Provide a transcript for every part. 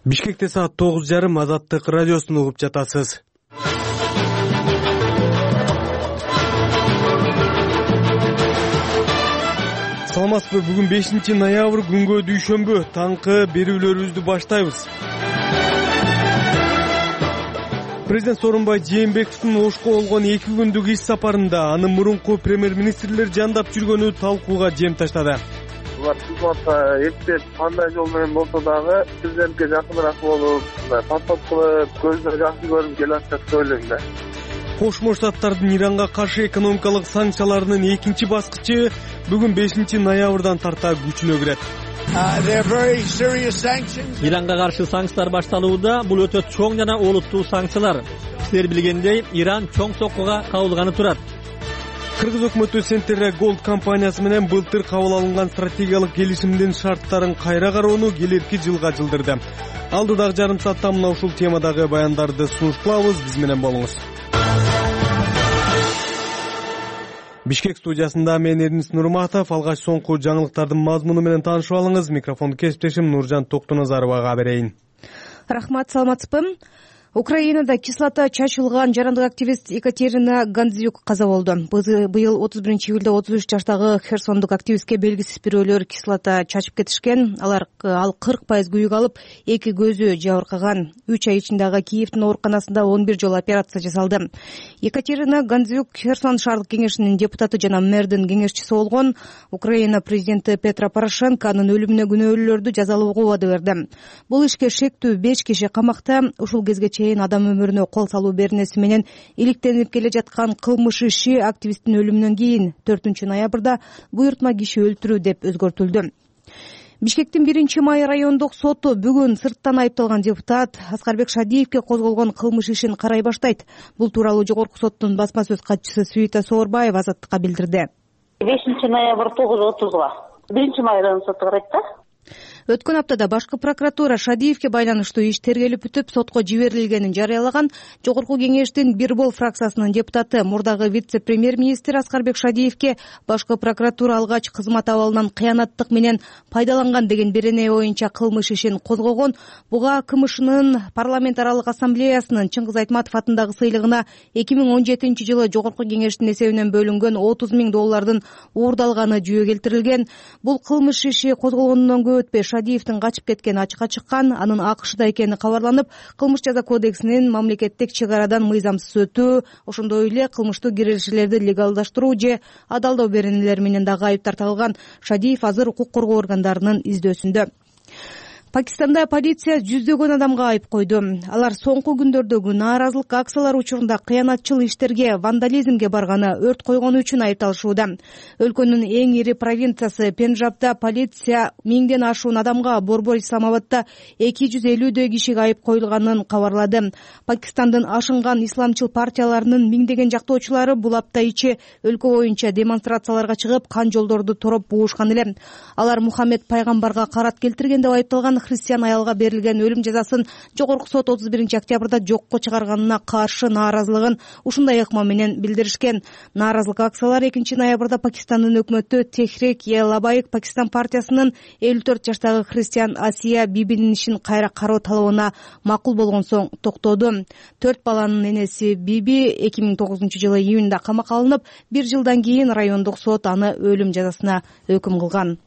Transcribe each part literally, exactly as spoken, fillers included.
Бишкекте саат тогуз жарым Азаттык радиосун угуп жатасыз. Саламатсызбы? Бүгүн бешинчи ноябрь күнгө дүйшөмбү. Таңкы берүүлөрүбүздү баштайбыз. Президент Сооронбай Жээнбековдун Ошко болгон эки күндүк иш сапарында анын мурунку премьер-министрлер жандап жүргөнү талкууга жем таштады. Булар кызматка эптеп кандай жол менен болсо дагы президентке жакыныраак болуп, подход кылып, көзүнө жакшы көрүп келатат деп ойлойм да. Кошмо Штаттардын Иранга каршы экономикалык санкцияларынын экинчи баскычы бүгүн бешинчи ноябрдан тарта күчүнө кирет. Иранга каршы санкциялар башталууда. Бул өтө чоң жана олуттуу санкциялар. Силер билгендей, Иран чоң соккуга кабылганы турат. Кыргыз өкмөтү Центрия Голд компаниясы менен былтыр кабыл алынган стратегиялык келишимдин шарттарын кайра кароону келерки жылга жылдырды. Алдыдагы жарым саатта мына ушул темадагы баяндарды сунушталабыз. Биз менен болуңуз. Бишкек студиясында мен Эрнис Нурматов. Алгач соңку жаңылыктардын мазмуну менен таанышып алыңыз. Микрофонду кесиптешим Нуржан Токтоназаровага берейин. Рахмат, саламатсызбы? Украинада кислота чачылган жарандык активист Екатерина Гандзюк каза болду. Быйыл отуз биринчи июлда отуз үч жаштагы херсондук активистке белгисиз бирөөлөр кислота чачып кетишкен. Алар ал кырк пайыз күйүк алып, эки көзү жабыркаган. үч ай ичинде Киевдин ооруканасында он бир жолу операция жасалды. Екатерина Гандзюк Херсон шаардык кеңешинин депутаты жана мэрдин кеңешчиси болгон. Украина президенти Петро Порошенко анын өлүмүнө күнөөлүүлөрдү жазалоого убада берди. Бул ишке шектүү беш киши камакта. Ушул кезге адам өмүрүнө кол салуу беренеси менен иликтенип келе жаткан кылмыш иши активисттин өлүмүнөн кийин төртүнчү ноябрда буйртма киши өлтүрүү деп өзгөртүлдү. Бишкектин биринчи май райондук соту бүгүн сырттан айыпталган депутат Аскарбек Шадиевке козголгон кылмыш ишин карай баштайт. Бул тууралуу жогорку соттун басма сөз катчысы Свита Соорбаева Азаттыкка билдирди. бешинчи ноябрь тогуз отузга биринчи май райондук соту карайт да. Өткөн аптада башкы прокуратура Шадиевке байланыштуу иш тергелип бүтүп, сотко жиберилгенин жарыялаган. Жогорку кеңештин Бирбол фракциясынын депутаты, мурдагы вице-премьер-министр Аскарбек Шадиевке башкы прокуратура алгач кызмат абалынан кыянаттык менен пайдаланган деген берене боюнча кылмыш ишин козгогон. Буга КМШнын парламент аралык ассамблеясынын Чыңгыз Айтматов атындагы сыйлыгына эки миң он жетинчи жылы жогорку кеңештин эсебинен бөлүнгөн отуз миң доллардын уурдалганы жүйө келтирилген. Бул кылмыш иши козголгондон көп өтпөй Шадиевдин качып кеткени ачыкка чыккан. Анын АКШда экени кабарланып, кылмыш жаза кодексинин мамлекеттик чек арадан мыйзамсыз өтүү, ошондой эле кылмыштуу киришүүлөрдү легалдаштыруу же адалдоо беренелери менен дагы айыптар тагылган. Шадиев азыр укук коргоо органдарынын издөөсүндө. Пакистанда полиция жүздөгөн адамга айып койду. Алар соңку күндөрдөгү нааразылык акциялары учурунда кыянатчыл иштерге, вандализмге барганы, өрт койгону үчүн айыпталышууда. Өлкөнүн эң ири провинциясы Пенджабда полиция миңден ашуун адамга, Борбор Исламабадда эки жүз элүүдөй кишиге айып коюлганын кабарлады. Пакистандын ашынган исламчыл партияларынын миңдеген жактоочулары бул апта ичи өлкө боюнча демонстрацияларга чыгып, кан жолдорду тороп буушкан эле. Алар Мухаммед пайгамбарга карат келтирген деп айыпталган христиан аялга берилген өлүм жазасын жогорку сот отуз биринчи октябрда жокко чыгарганына каршы нааразылыгын ушундай ыкма менен билдиришкен. Нааразылык акциялары экинчи ноябрда Пакистандын өкмөтү Техрик-е-Лабайк Пакистан партиясынын элүү төрт жаштагы христиан Асия Бибинин ишин кайра кароо талабына макул болгон соң токтоду. Төрт баланын энеси Биби эки миң тогузунчу жылы июнда камакка алынып, бир жылдан кийин райондук сот аны өлүм жазасына өкүм кылган.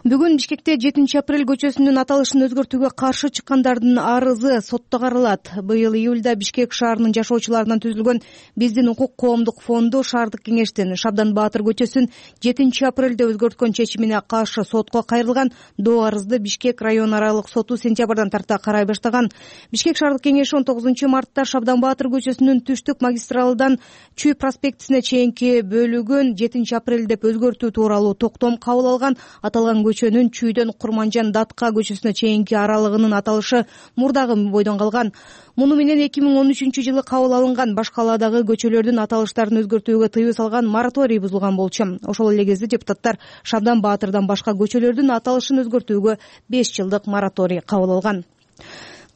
Бүгүн Бишкекте жетинчи апрель көчөсүнүн аталышын өзгөртүүгө каршы чыккандардын арызы сотто каралат. Быйыл июлда Бишкек шаарынын жашоочуларынан түзүлгөн Биздин укук коомдук фонду шаардык кеңештин Шабдан Баатыр көчөсүн жетинчи апрелде өзгөрткөн чечимине каршы сотко кайрылган. Доо арызды Бишкек район аралык соту сентябрдан тарта карай баштаган. Бишкек шаардык кеңеши он тогузунчу мартта Шабдан Баатыр көчөсүнүн түштүк магистралдан Чүй проспектисине чейинки бөлүгүн жетинчи апрель деп өзгөртүү тууралуу токтом кабыл алган. Аталган көчөнүн Чүйдөн Курманжан Датка көчөсүнө чейинки аралыгынын аталышы мурдагы бойдон калган. Муну менен эки миң он үчүнчү жылы кабыл алынган башка калаадагы көчөлөрдүн аталыштарын өзгөртүүгө тыюу салган мораторий бузулган болчу. Ошол эле кезде депутаттар Шабдан Баатырдан башка көчөлөрдүн аталышын өзгөртүүгө беш жылдык мораторий кабыл алган.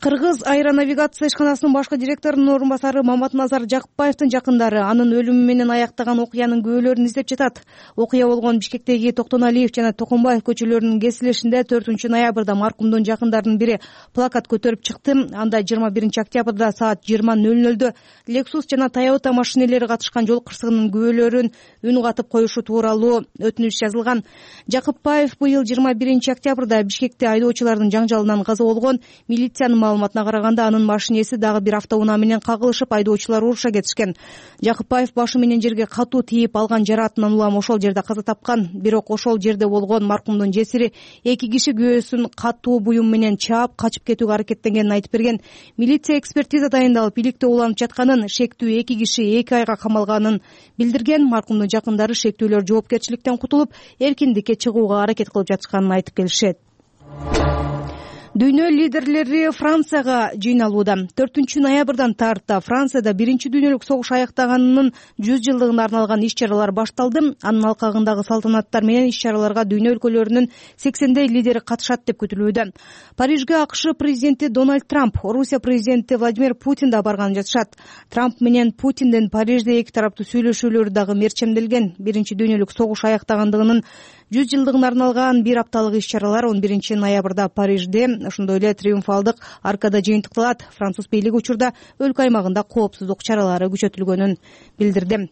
Кыргыз аэронавигация ишканасынын башкы директорунун орун басары Маматназар Жакыпбаевдин жакындары анын өлүмү менен аяктаган окуянын күбөлөрүн издеп жатат. Окуя болгон Бишкектеги Токтоналиев жана Токомбаев көчөлөрүнүн кесилишинде төртүнчү ноябрда маркумдун жакындарынын бири плакат көтөрүп чыкты. Анда жыйырма биринчи октябрда саат жыйырма нөл нөлдө Lexus жана Toyota машинелери катышкан жол кырсыгынын күбөлөрүн үн катып коюшу тууралуу өтүнүч жазылган. Жакыпбаев быйыл жыйырма биринчи октябрда Бишкекте айдоочулардын жаңжалынан каза болгон. Милициянын маалыматына караганда анын машинеси дагы бир автоунаа менен кагылышып, айдоочулар уруша кетишкен. Жакыпбаев башы менен жерге катуу тийип алган жараатынан улам ошол жерде каза тапкан. Бирок ошол жерде болгон маркумдун жесири эки киши күбөсүн катуу буюм менен чаап качып кетүүгө аракеттенгенин айтып берген. Милиция экспертиза дайындалып, иликте уланып жатканын, шектүү эки киши эки айга камалганын билдирген. Маркумдун жакындары шектүүлөр жоопкерчиликтен кутулуп, эркиндикке чыгууга аракет кылып жатышканын айтып келишет. Дүйнө лидерлери Францияга жыйналууда. төртүнчү ноябрдан тарта Францияда биринчи дүйнөлүк согуш аяктаганынын жүз жылдыгына арналган иш-чаралар башталды. Анын алкагындагы салтанаттар менен иш-чараларга дүйнө өлкөлөрүнүн сексендей лидери катышат деп күтүлүүдө. Парижге АКШ президенти Дональд Трамп, Орусия президенти Владимир Путин да барган жатышат. Трамп менен Путиндин Парижде эки тараптуу сүйлөшүүлөрү дагы мерчемделген. Биринчи дүйнөлүк согуш аяктагандыгынын жүз жылдыгына арналган бир апталык иш-чаралар он биринчи ноябрда Парижде, ошондой эле триумфалдык аркада жыйынтыкталат. Француз бийлиги учурда өлкө аймагында коопсуздук чаралары күчөтүлгөнүн билдирди.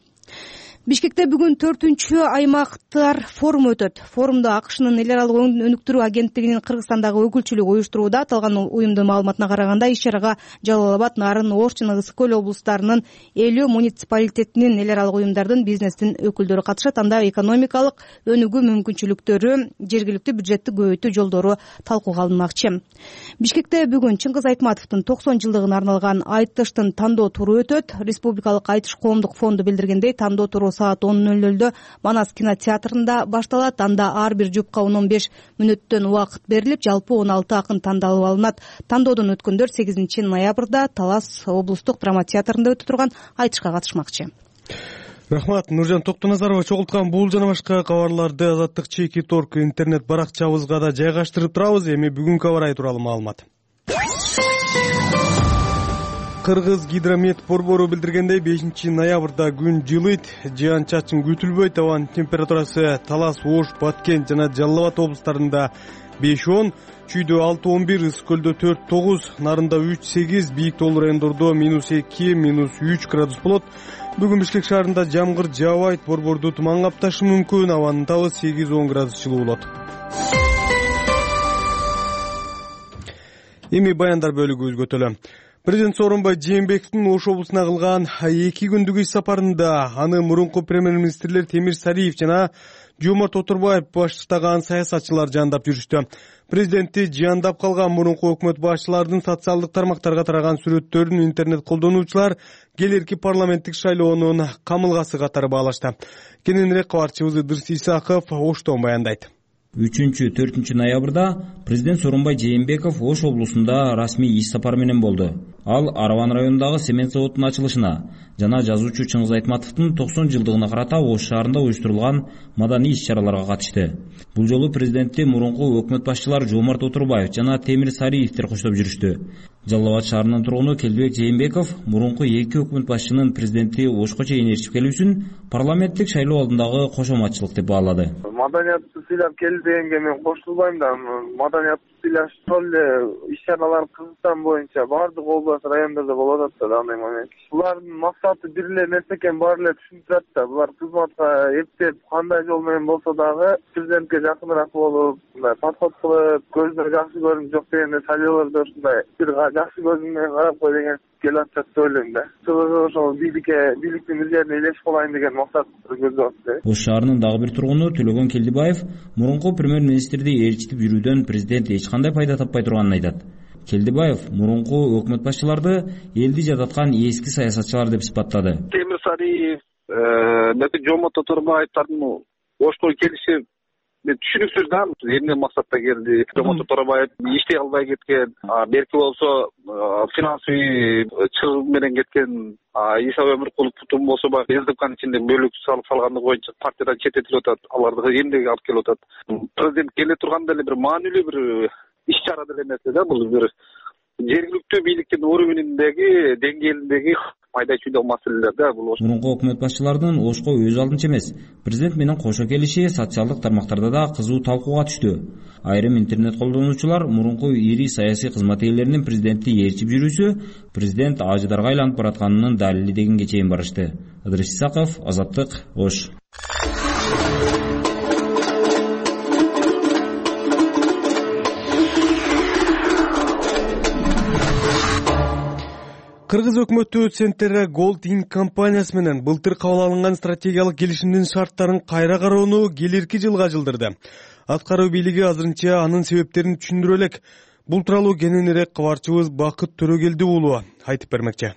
Бишкекте бүгүн төртүнчү аймактар форуму өтөт. Форумда АКШнын эл аралык өнүктүрүү агенттигинин Кыргызстандагы өкүлчүлүгү уюштурууда. Аталган уюмдун маалыматына караганда иш-чарага Жалал Абад, Нарын, Ош жана Ысык көл облустарынын элүү муниципалитетинин эл аралык уюмдардын, бизнестин өкүлдөрү катышат. Анда экономикалык өнүгүү мүмкүнчүлүктөрү, жергиликтүү бюджетти көбөйтүү жолдору талкууга алынмакчы. Бишкекте бүгүн Чыңгыз Айтматовдун токсон жылдыгына арналган айтыштын тандоо туру өтөт. Республикалык айтыш коомдук фонду билдиргендей, тандоо туру саат он нөл нөлдө Манас кинотеатрында башталат. Анда ар бир жупка он он беш мүнөттөн убакыт берилип, жалпы он алты акын тандалып алынат. Тандоодон өткөндөр сегизинчи ноябрда Талас облустук драма театрында өтө турган айтышка катышмакчы. Рахмат, Нуржан Токтоназарова чогулткан бул жана башка кабарларды Азаттык чеки торг интернет баракчабызга да жайгаштырып турабыз. Эми бүгүнкү аба ырайы тууралуу маалымат. Кыргыз гидромет борбору билдиргендей, бешинчи ноябрда күн жылыйт, жаан-чачын күтүлбөйт. Абанын температурасы Талас, Ош, Баткен жана Жалал Абад облустарында беш он, Чүйдө алты он бир, Ысык көлдө төрт тогуз, Нарында үч сегиз, Бийик Тоол райондордо минус эки, минус үч градус болот. Бүгүн Бишкек шаарында жамгыр жаабайт, борборду туман капташы мүмкүн. Абанын табы сегиз он градус жылуу болот. Эми баяндар бөлүгүбүзгө өтөлү. Президент Сооронбай Жээнбековдун Ош облусуна кылган эки күндүк иш сапарында аны мурунку премьер-министрлер Темир Сариев жана Жомарт Отурбаев баштаган саясатчылар жандап жүрүштү. Президентти жандап калган мурунку өкмөт башчыларынын социалдык тармактарга тараган сүрөттөрүн интернет колдонуучулар келерки парламенттик шайлоонун камылгасы катары баалашты. Кененирээк кабарчыбыз Ыдырыс Исаков Оштон баяндайт. үчүнчү төртүнчү ноябрда президент Сооронбай Жээнбеков Ош облусунда расмий иш сапар менен болду. Ал Араван районундагы цемент заводунун ачылышына жана жазуучу Чыңгыз Айтматовдун токсон жылдыгына карата Ош шаарында уюштурулган маданий иш-чараларга катышты. Бул жолу президентти мурунку өкмөт башчылары Жомарт Отурбаев жана Темир Сариевдер коштоп жүрүштү. Жалал Абад шаарынын тургуну Келдибек Жээнбеков мурунку эки өкмөт башчынын президентти Ошко чейин ээрчип келүүсүн парламенттик шайлоо алдындагы кошоматчылык деп баалады. Маданиятты сыйлап келди дегенге мен кошулбайм да. Маданиятты сыйлаш ошол эле иш-чаралар Кыргызстан боюнча баардык область райондордо болуп атат да андай момент. Булардын максаты бир эле нерсе экенин баары эле түшүнүп турат да. Булар кызматка эптеп кандай жол менен болсо дагы президентке жакыныраак болуп, мындай подход кылып, көздөр жакшы көрүнүп жок дегенде шайлоолордо ушундай бир жакшы көз менен карап кой деген келип атат деп ойлойм да. Ошол бийликке, бийликтин üzerine элешип калайын деген максат көздөп атат. Ош шаарынын дагы бир тургуну Төлөгөн Келдибаев мурунку премьер-министрди ээрчитип жүрүүдөн президент эч кандай пайда таппай турганын айтат. Келдибаев мурунку өкмөт башчыларды элди жататкан эски саясатчылар деп сыпаттады. Темир Сариев, Жомарт Отурбаевдин Ошко келиши түшүнүксүз да, эмне максатта келди. Жомарт Отурбаев иштей албай кеткен, берки болсо финансовый чыгым менен кеткен, Иса Өмүркуловдун болсо баягы СДКнын ичинде бөлүк салып салгандыгы боюнча партиядан чететилип атат. Аларды эмнеге алып келип атат? Президент келе турганда эле бир маанилүү бир иш-чара деген нерсе да, бул бир жергиликтүү бийликтин уровеніндеги деңгээлиндеги пайда чүйдө маселелер да бул. Мурунку өкмөт башчыларынын Ошко өз алдынча эмес, президент менен кошо келиши социалдык тармактарда да кызуу талкууга түштү. Айрым интернет колдонуучулар мурунку ири саясий кызмат ээлеринин президентти ээрчип жүрүүсү президент ажыдарга айланып баратканынын далили дегенге чейин барышты. Ыдырыс Исаков, Азаттык, Ош. Кыргыз өкмөтү Центерра Gold Inc компаниясы менен былтыр кабыл алынган стратегиялык келишимдин шарттарын кайра кароону келерки жылга жылдырды. Аткаруу бийлиги азырынча анын себептерин түшүндүрө элек. Бул тууралуу кененирээк кабарчыбыз Бакыт Төрөгелди уулу айтып бермекчи.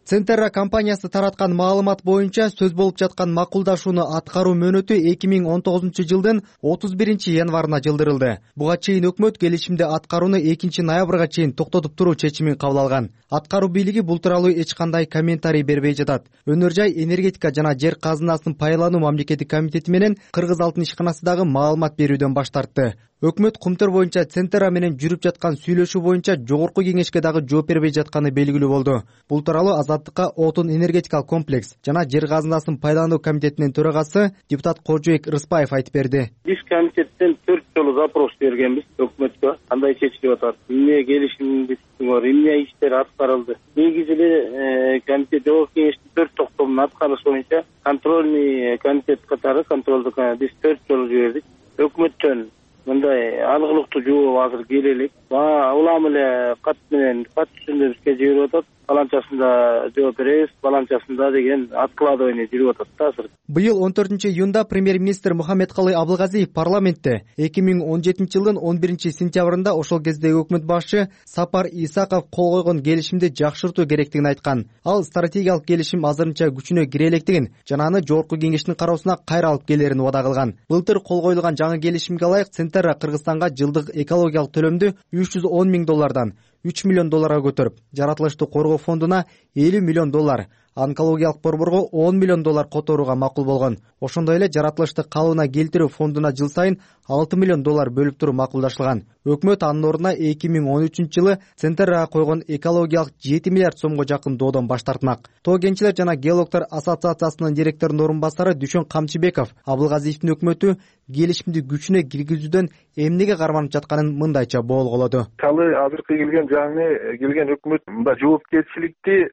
Центерра компаниясы тараткан маалымат боюнча сөз болуп жаткан макулдашууну аткаруу мөөнөтү эки миң он тогузунчу жылдын отуз биринчи январына жылдырылды. Буга чейин өкмөт келишимди аткарууну экинчи ноябрга чейин токтотуп туруу чечимин кабыл алган. Аткаруу бийлиги бул тууралуу эч кандай комментарий бербей жатат. Өнөр жай, энергетика жана жер казынасын пайдалануу мамлекеттик комитети менен Кыргыз алтын ишканасы дагы маалымат берүүдөн баш тартты. Өкмөт кумтөр боюнча Центерра менен жүрүп жаткан сүйлөшүү боюнча жогорку кеңешке дагы жооп бербей жатканы белгилүү болду. Бул тууралуу Азаттыкка Отун энергетикалык комплекс жана жер казынасын пайдалануу комитетинин төрагасы депутат Кожоек Рыспаев айтып берди. Биз комитеттен төрт жолу запрос бергенбиз өкмөткө. Кандай чечилип атат? Эмне келишимдин бар? Эмне иштер аткарылды? Негизи эле комитет жогорку кеңештин төрт токтомунун аткарышы боюнча контрольный комитет катары контролдук биз төрт жолу жибердик. Өкмөттөн мындай алгылыктуу жооп азыр келе элек. Улам эле кат менен кат түшүндү бизге жиберип атат. Баланчасында жооп беребиз, баланчасында деген откладывание жүрүп атат да азыр. Быйыл он төртүнчү июнда премьер-министр Мухаммедкалый Абылгазиев парламентте эки миң он жетинчи жылдын он биринчи сентябрында ошол кездеги өкмөт башчы Сапар Исаков кол койгон келишимди жакшыртуу керектигин айткан. Ал стратегиялык келишим азырынча күчүнө кире электигин жана аны жогорку кеңештин кароосуна кайра алып келерин убада кылган. Былтыр кол коюлган жаңы келишимге ылайык Центерра Кыргызстанга жылдык экологиялык төлөмдү үч жүз он миң доллардан үч миллион долларга көтөрүп, жаратылышты коргоо фондуна элүү миллион доллар, онкологиялык борборго он миллион доллар которууга макул болгон. Ошондой эле жаратылышты калыбына келтирүү фондуна жыл сайын алты миллион доллар бөлүп туруу макулдашылган. Өкмөт анын ордуна эки миң он үчүнчү жылы Центеррага койгон экологиялык жети миллиард сомго жакын доодон баш тартмак. Тоо кенчилер жана геологдор ассоциациясынын директорунун орун басары Дүшөн Камчыбеков Абылгазиевдин өкмөтү келишимди күчүнө киргизүүдөн эмнеге карманып жатканын мындайча боолголоду. Калы азыркы келген жаңы келген өкмөт мындай жоопкерчиликти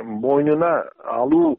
мойнуна алуу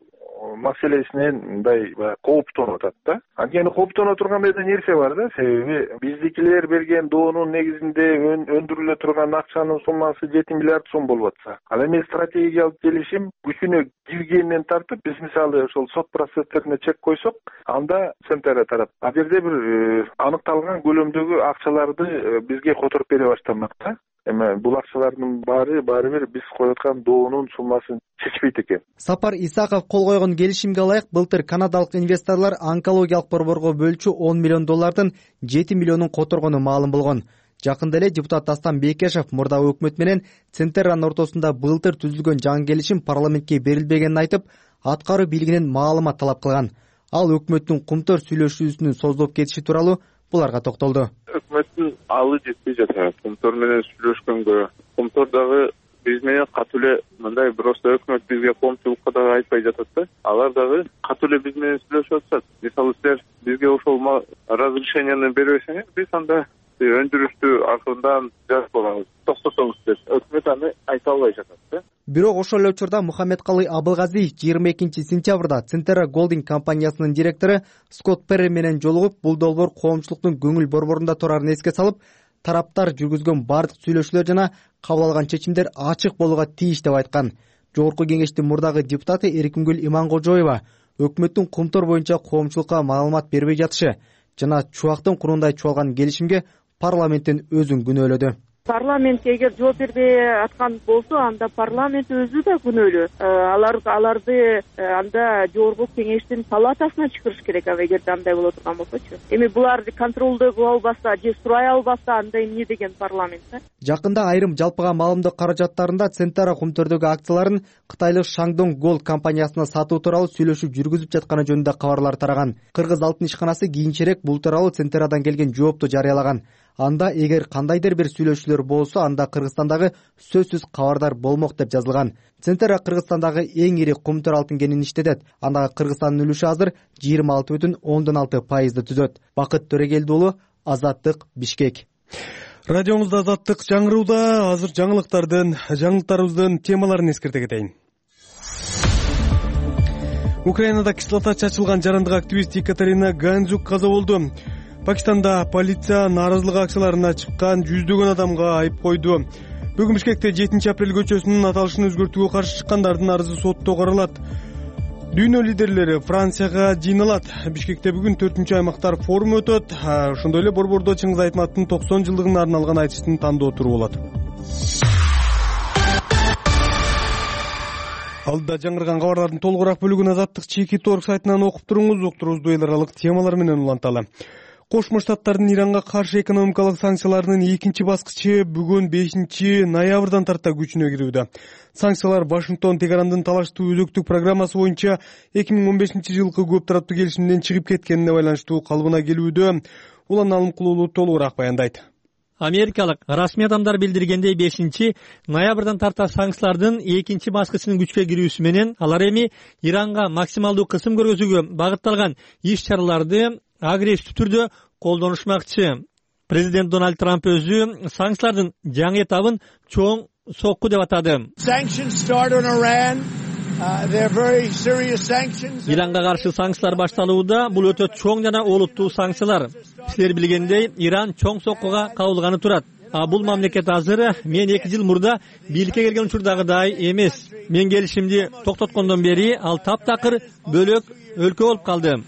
маселесинен мындай кооптонуп атат да. Анткени кооптоно тургандай да нерсе бар да. Себеби биздикилер берген доонун негизинде өндүрүлө турган акчанын суммасы жети миллиард сом болуп атса, ал эми стратегиялык келишим күчүнө киргенинен тартып, биз мисалы ошол сот процесстерине чек койсок, анда Центерра тарап ал жерде бир аныкталган көлөмдөгү акчаларды бизге которуп бере баштамак да. Эми бул акчалардын баары баары бир биз коюп доонун суммасын чечпейт экен. Сапар Исаков кол койгон келишимге ылайык былтыр канадалык инвесторлор онкологиялык борборго бөлчү он миллион доллардын жети миллионун которгону маалым болгон. Жакында эле депутат Дастан Бекешев мурдагы өкмөт менен Центерранын ортосунда былтыр түзүлгөн жаңы келишим парламентке берилбегенин айтып, аткаруу бийлигинен маалымат талап кылган. Ал өкмөттүн кумтөр сүйлөшүүсүнүн созулуп кетиши тууралуу буларга токтолду. Өкмөттүн алы жетпей жатат. Кумтор менен сүйлөшкөнгө, кумтор дагы биз менен катуу эле мындай просто өкмөт бизге коомчулукка дагы айтпай жатат да. Алар дагы катуу эле биз менен сүйлөшүп атышат. Мисалы силер бизге ошол разрешениени бербесеңиз, биз анда өндүрүштү акырындан жазып алабыз, токтотобуз деп өкмөт аны айта албай жатат да. Бирок ошол эле учурда Мухаммедкалый Абылгазиев жыйырма экинчи сентябрда Центерра Gold компаниясынын директору Скотт Перри менен жолугуп, бул долбоор коомчулуктун көңүл борборунда турарын эске салып, тараптар жүргүзгөн бардык сүйлөшүүлөр жана кабыл алган чечимдер ачык болууга тийиш деп айткан. Жогорку кеңештин мурдагы депутаты Эркингүл Иманкожоева өкмөттүн кумтор боюнча коомчулукка маалымат бербей жатышы жана чубактын курундай чуалган келишимге парламенттин өзүн күнөөлөдү. Парламент эгер жооп бербей аткан болсо, анда парламент өзү да күнөөлүү. Алар аларды анда жогорку кеңештин палатасына чакырыш керек, эгер андай боло турган болсочу. Эми булар контролдой кыла албаса же сурай албаса, анда эмне деген парламент да? Жакында айрым жалпыга маалымдоо каражаттарында Центерра кумтөрдөгү акцияларын кытайлык Шаңдон Gold компаниясына сатуу тууралуу сүйлөшүү жүргүзүп жатканы жөнүндө кабарлар тараган. Кыргыз алтын ишканасы кийинчерээк бул тууралуу Центеррадан келген жоопту жарыялаган. анда эгер кандайдыр бир сүйлөшүүлөр болсо анда Кыргызстандагы сөзсүз кабардар болмок деп жазылган. Центр Кыргызстандагы эң ири кумтур алтын кенин иштетет. Андагы Кыргызстандын үлүшү азыр жыйырма алты бүтүн ондон алты пайызды түзөт. Бакыт Төрегелди уулу, Азаттык, Бишкек. Радиомузда Азаттык жаңырууда. Азыр жаңылыктардын, жаңылыктарыбыздын темаларын эскерте кетейин. Украинада кислота чачылган жарандык активист Екатерина Ганжук каза болду. Пакистанда полиция нааразылык акцияларына чыккан жүздөгөн адамга айып койду. Бүгүн Бишкекте жетинчи апрель көчөсүнүн аталышын өзгөртүүгө каршы чыккандардын арызы сотто каралат. Дүйнө лидерлери Францияга жыйналат. Бишкекте бүгүн төртүнчү аймактар форуму өтөт. Ошондой эле Борбордо Чыңгыз Айтматовдун токсон жылдыгына арналган айтыштын тандоо туру болот. Алдыда жаңырган кабарлардын толугураак бөлүгүн Азаттык чеки торг сайтынан окуп туруңуз. Уктуруубузду эл аралык темалар менен уланталы. Кошмо Штаттардын Иранга каршы экономикалык санкцияларынын экинчи баскычы бүгүн бешинчи ноябрдан тарта күчүнө кирүүдө. Санкциялар Вашингтон Тегарандын талаштуу өзөктүк программасы боюнча эки миң он бешинчи жылкы көп тараптуу келишимден чыгып кеткенине байланыштуу калыбына келүүдө. Улан Алымкулуулу толугураак баяндайт. Америкалык расмий адамдар билдиргендей бешинчи ноябрдан тарта санкциялардын экинчи баскычынын күчкө кирүүсү менен алар эми Иранга максималдуу кысым көргөзүүгө багытталган иш-чараларды агрессивдүү түрдө колдонушмакчы. Президент Дональд Трамп өзү санкциялардын жаңы этабын чоң сокку деп атады. Иранга каршы санкциялар башталууда. Бул өтө чоң жана олуттуу санкциялар. Силер билгендей, Иран чоң соккуга кабылганы турат. А бул мамлекет азыр мен эки жыл мурда бийликке келген учурдагыдай эмес. Мен келишимди токтоткондон бери ал таптакыр бөлөк өлкө болуп калды.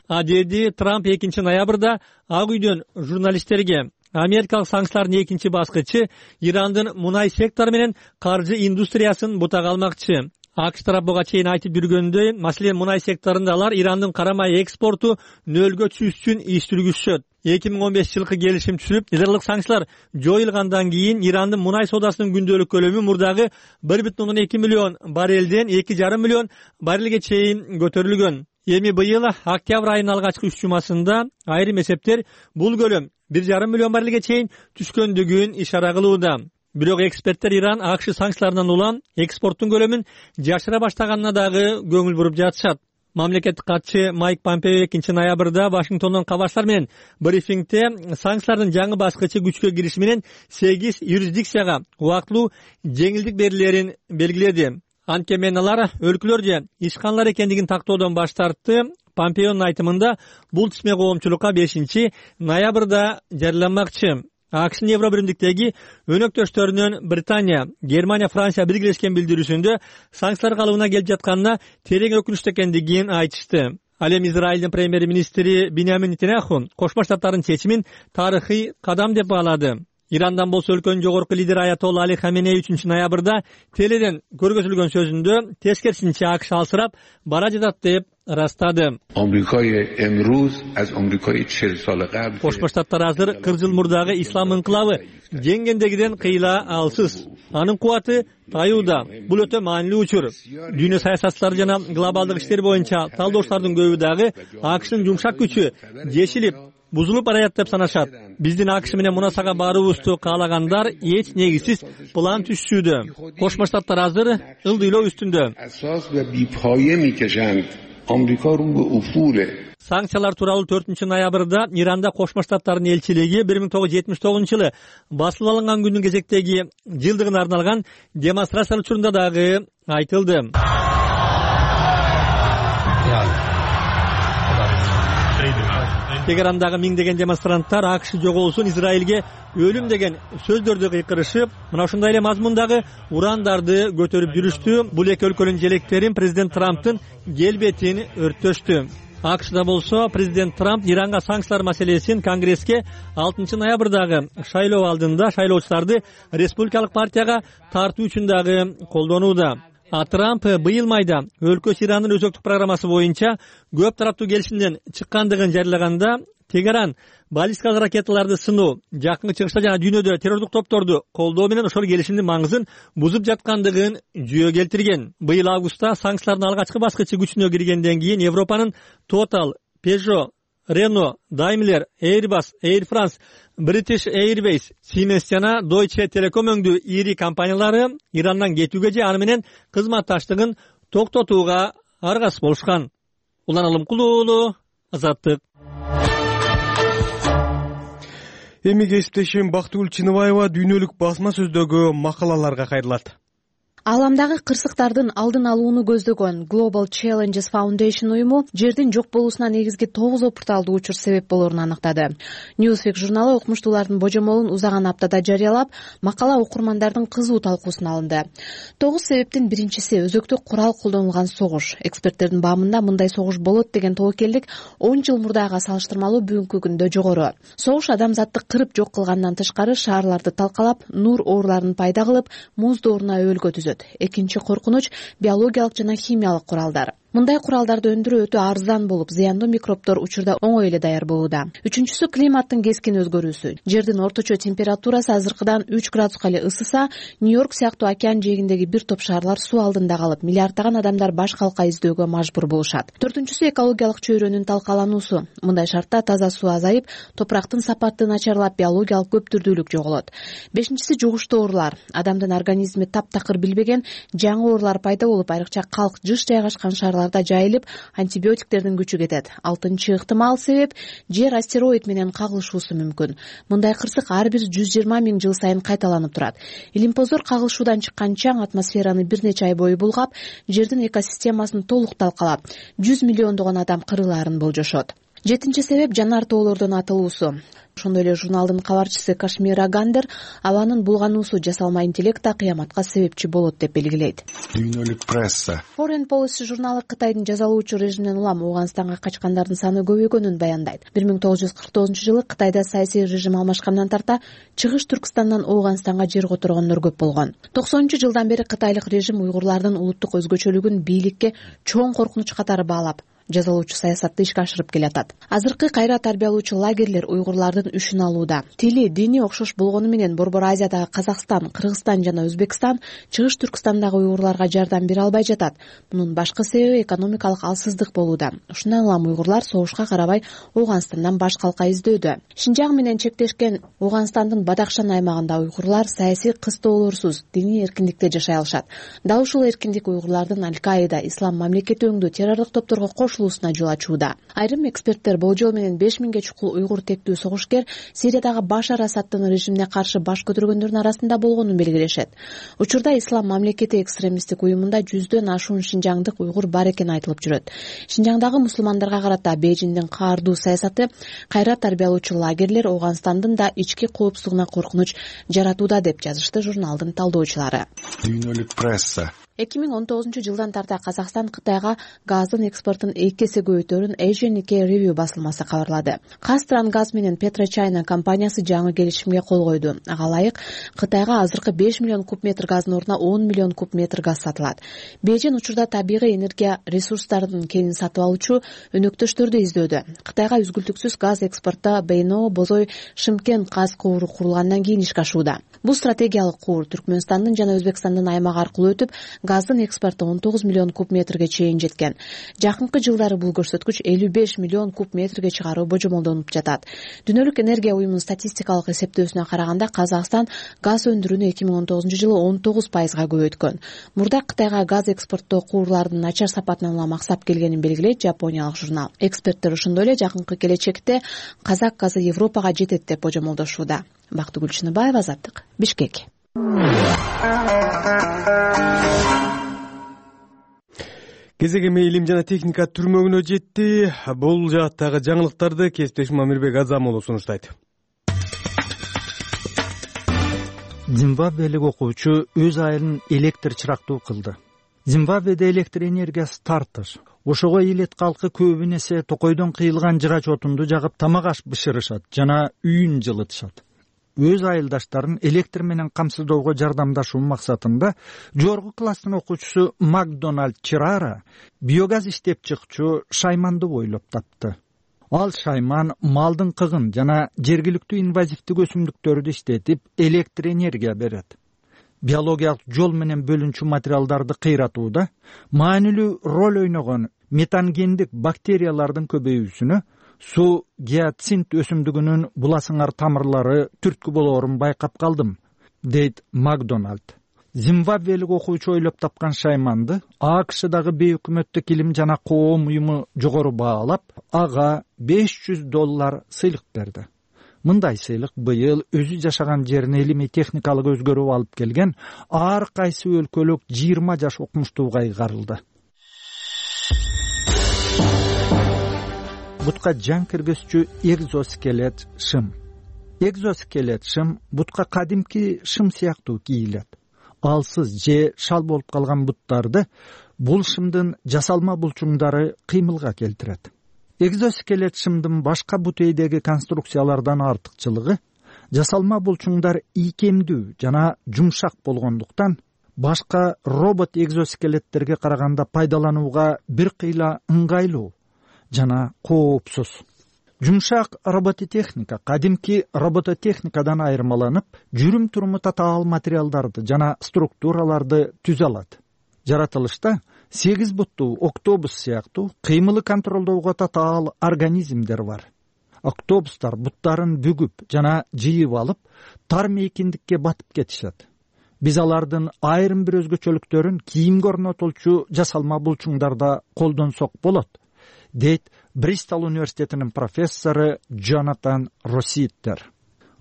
А деди Трамп экинчи ноябрда Ак үйдөн журналисттерге. Америкалык санкциялардын экинчи баскычы Ирандын мунай сектору менен каржы индустриясын бутага алмакчы. АКШ тарап буга чейин айтып жүргөндөй, маселен мунай секторунда алар Ирандын кара май экспорту нөлгө түшүш үчүн иш жүргүзүшөт. эки миң он беш жылкы келишим түзүлүп, нидерлык санкциялар жоюлгандан кийин Ирандын мунай соодасынын күндөлүк көлөмү мурдагы бир бүтүн ондон эки миллион баррелден эки жарым миллион баррелге чейин көтөрүлгөн. Эми быйыл октябрь айынын алгачкы үч жумасында айрым эсептер бул көлөм бир жарым миллион баррелге чейин түшкөндүгүн ишара кылууда. Бирок эксперттер Иран АКШ санкцияларынан улам экспорттун көлөмүн жашыра баштаганына дагы көңүл буруп жатышат. Мамлекеттик катчы Майк Помпео экинчи ноябрда Вашингтондон кабарчылар менен брифингде санкциялардын жаңы баскычы күчкө кириши менен сегиз юрисдикцияга убактылуу жеңилдик берилерин белгиледи. Анткени алар өлкөлөрдө ишканалар экендигин тактоодон баш тартты. Помпеонун айтымында бул тизме коомчулукка бешинчи ноябрда жарыяланмакчы. АКШнын Евро биримдиктеги өнөктөштөрүнөн Британия, Германия, Франция биргелешкен билдирүүсүндө санкциялар калыбына келип жатканына терең өкүнүчтүү экендигин айтышты. Ал эми Израилдин премьер-министри Биньямин Нетаньяху Кошмо Штаттардын чечимин тарыхый кадам деп баалады. Ирандан болсо өлкөнүн жогорку лидери Аятолла Али Хаменей үчүнчү ноябрда теледен көргөзүлгөн сөзүндө тескерисинче АКШ алсырап бара жатат деп растады. Кошмо Штаттар азыр кырк жыл мурдагы ислам инкылабы жеңгендегиден кыйла алсыз. Анын кубаты таюуда. Бул өтө маанилүү учур. Дүйнө саясатчылары жана глобалдык иштер боюнча талдоочулардын көбү дагы АКШнын жумшак күчү жешилип бузулуп барат деп санашат. Биздин АКШ менен мунасага баруубузду каалагандар эч негизсиз план түзүшүүдө. Кошмо Штаттар азыр ылдыйлоо үстүндө. Санкциялар тууралуу төртүнчү ноябрда Иранда Кошмо Штаттардын элчилиги бир миң тогуз жүз жетимиш тогузунчу жылы басылып алынган күндүн кезектеги жылдыгына арналган демонстрация учурунда дагы айтылды. Тегерандагы миңдеген демонстранттар АКШ жоголсун, Израилге өлүм деген сөздөрдү кыйкырышып, мына ушундай эле мазмундагы урандарды көтөрүп жүрүштү. Бул эки өлкөнүн желектерин президент Трамптын келбетин өрттөштү. АКШда болсо президент Трамп Иранга санкциялар маселесин Конгресске алтынчы ноябрдагы шайлоо алдында шайлоочуларды республикалык партияга тартуу үчүн дагы колдонууда. А Трамп быйыл майда өлкөсү Ирандын өзөктүк программасы боюнча көп тараптуу келишимден чыккандыгын жарыялаганда Тегеран баллистикалык ракеталарды сыноо, жакынкы чыгышта жана дүйнөдө террордук топторду колдоо менен ошол келишимдин маңызын бузуп жаткандыгын жүйө келтирген. Быйыл августта санкциялардын алгачкы баскычы күчүнө киргенден кийин Европанын Total, Peugeot, Renault, Daimler, Airbus, Air France, British Airways, Siemens жана Deutsche Telekom өңдүү ири компаниялары Ирандан кетүүгө же аны менен кызматташтыгын токтотууга аргасыз болушкан. Улан Алымкулуу уулу, Азаттык. Эми кесиптешим Бактыгүл Чыныбаева дүйнөлүк басма сөздөгү макалаларга кайрылат. Ааламдагы кырсыктардын алдын алууну көздөгөн Global Challenges Foundation уюму жердин жок болуусуна негизги тогуз опурталдуу учур себеп болоорун аныктады. Newsweek журналы окумуштуулардын божомолун узаган аптада жарыялап, макала окурмандардын кызуу талкуусуна алынды. Тогуз себептин биринчиси өзөктүк курал колдонулган согуш. Эксперттердин баамында мындай согуш болот деген тобокелдик он жыл мурдага салыштырмалуу бүгүнкү күндө жогору. Согуш адамзатты кырып жок кылгандан тышкары шаарларды талкалап, нур ооруларын пайда кылып, муз дооруна өбөлгө түзөт. Экинчи коркунуч биологиялык жана химиялык куралдар. Мындай куралдарды өндүрүү өтө арзан болуп, зыяндуу микробдор учурда оңой эле даяр болууда. Үчүнчүсү климаттын кескин өзгөрүүсү. Жердин орточо температурасы азыркыдан үч градуска эле ысыса, Нью-Йорк сыяктуу океан жээгиндеги бир топ шаарлар суу алдында калып, миллиарддаган адамдар баш калка издөөгө мажбур болушат. Төртүнчүсү экологиялык чөйрөнүн талкалануусу. Мындай шартта таза суу азайып, топурактын сапаты начарлап, биологиялык көптүрдүүлүк жоголот. Бешинчиси жугуштуу оорулар. Адамдын организми таптакыр билбеген жаңы оорулар пайда болуп, айрыкча калк, жыш жайгашкан шаарларда жайылып, антибиотиктердин күчү кетет. Алтынчы ыктымал себеп жер астероид менен кагылышуусу мүмкүн. Мындай кырсык ар бир жүз жыйырма миң жыл сайын кайталанып турат. Илимпоздор кагылышуудан чыккан чаң атмосфераны бир нече ай бою булгап, жердин экосистемасын толук талкалап, жүз миллиондогон адам кырылаарын болжошот. Жетинчи себеп жанар тоолордун атылуусу. Ошондой эле журналдын кабарчысы Кашмира Гандер абанын булгануусу жасалма интеллект кыяматка себепчи болот деп белгилейт. Дүйнөлүк пресса. Foreign Policy журналы Кытайдын жазалуучу режиминен улам Ооганстанга качкандардын саны көбөйгөнүн баяндайт. бир миң тогуз жүз кырк тогузунчу жылы Кытайда саясий режим алмашкандан тарта Чыгыш Түркстандан Ооганстанга жер которгондор көп болгон. токсонунчу жылдан бери кытайлык режим уйгурлардын улуттук өзгөчөлүгүн бийликке чоң коркунуч катары баалап, жазалуучу саясатты ишке ашырып келатат. Азыркы кайра тарбиялоочу лагерлер уйгурлардын үшүн алууда. Тили, дини окшош болгону менен Борбор Азиядагы Казакстан, Кыргызстан жана Өзбекстан Чыгыш Түркстандагы уйгурларга жардам бере албай жатат. Мунун башкы себеби экономикалык алсыздык болууда. Ушундан улам уйгурлар согушка карабай Ооганстандан баш калка издөөдө. Шинжаң менен чектешкен Ооганстандын Бадахшан аймагында уйгурлар саясий кыстоолорсуз, диний эркиндикте жашай алышат. Дал ушул эркиндик уйгурлардын Аль-Каида, Ислам мамлекети өңдүү террорлук топторго кошулуусуна жол ачууда. Айрым эксперттер болжол менен беш миңге чукул уйгур тектүү согушкер Сириядагы Башар Асадтын режимине каршы баш көтөргөндөрдүн арасында болгонун белгилешет. Учурда Ислам мамлекети экстремисттик уюмунда жүздөн ашуун шинжаңдык уйгур бар экени айтылып жүрөт. Шинжаңдагы мусулмандарга карата Бейжиңдин каардуу саясаты кайра тарбиялоочу лагерлер Ооганстандын да ички коопсуздугуна коркунуч жаратууда деп жазышты журналдын талдоочулары. Дүйнөлүк пресса. эки миң он тогузунчу жылдан тарта Казакстан Кытайга газдын экспортун эки эсе көбөйтөөрүн Asian Nikkei Review басылмасы кабарлады. Казтрангаз менен PetroChina компаниясы жаңы келишимге кол койду. Ага ылайык Кытайга азыркы беш миллион куб метр газдын ордуна он миллион куб метр газ сатылат. Бейжиң учурда табигый энергия ресурстарынын кенин сатып алуучу өнөктөштөрдү издөөдө. Кытайга үзгүлтүксүз газ экспортто Бейно, Бозой, Шымкент газ кууру курулгандан кийин ишке ашууда. Бул стратегиялык куур Түркмөнстандын жана Өзбекстандын аймагы аркылуу өтүп, газдын экспорту он тогуз миллион куб метрге чейин жеткен. Жакынкы жылдары бул көрсөткүч элүү беш миллион куб метрге чыгаруу божомолдонуп жатат. Дүйнөлүк энергия уюмунун статистикалык эсептөөсүнө караганда Казакстан газ өндүрүүнү эки миң он тогузунчу жылы он тогуз пайызга көбөйткөн. Мурда Кытайга газ экспорттоо куурлардын начар сапатынан улам аксап келгенин белгилейт жапониялык журнал. Эксперттер ошондой эле жакынкы келечекте казак газы Европага жетет деп божомолдошууда. Бактыгүл Чыныбаева, Азаттык, Бишкек. Кезек эми илим жана техника түрмөгүнө жетти. Бул жааттагы жаңылыктарды кесиптешим Амирбек Азамуулу сунуштайт. Зимбабвелик окуучу өз айылын электр чырактуу кылды. Зимбабведе электр энергиясы тартыш. Ошого элет калкы көбүн эсе токойдон кыйылган жырач отунду жагып тамак аш бышырышат жана үйүн жылытышат. Өз айылдаштарын электр менен камсыздоого жардамдашуу максатында жогорку класстын окуучусу Макдоналд Чирара биогаз иштеп чыкчу шайманды бойлоп тапты. Ал шайман малдын кыгын жана жергиликтүү инвазивдик өсүмдүктөрдү иштетип электр энергия берет. Биологиялык жол менен бөлүнчү материалдарды кыйратууда маанилүү роль ойногон метангендик бактериялардын көбөйүүсүнө Суу гиацинт өсүмдүгүнүн буласыңар тамырлары түрткү болоорун байкап калдым, дейт Макдоналд. Зимбабвелик окуучу ойлоп тапкан шайманды АКШдагы бейөкмөттүк илим жана коом уюму жогору баалап, ага беш жүз доллар сыйлык берди. Мындай сыйлык быйыл өзү жашаган жерине илимий техникалык өзгөрүү алып келген ар кайсы өлкөлүк жыйырма жаш окумуштууга ыйгарылды. Бутка жан киргизчү экзоскелет шым. Экзоскелет шым бутка кадимки шым сыяктуу кийилет. Алсыз же шал болуп калган буттарды бул шымдын жасалма булчуңдары кыймылга келтирет. Экзоскелет шымдын башка бутейдеги конструкциялардан артыкчылыгы жасалма булчуңдар ийкемдүү жана жумшак болгондуктан башка робот экзоскелеттерге караганда пайдаланууга бир кыйла ыңгайлуу жана коопсуз. Жумшак робототехника кадимки робототехникадан айырмаланып, жүрүм-туруму татаал материалдарды жана структураларды түзө алат. Жаратылышта сегиз буттуу октобус сыяктуу кыймылы контролдоого татаал организмдер бар. Октобустар буттарын бүгүп жана жыйып алып, тар мейкиндикке батып кетишет. Биз алардын айрым бир өзгөчөлүктөрүн кийимге орнотулчу жасалма булчуңдарда колдонсок болот, дейт Бристол университетинин профессору Джонатан Росситтер.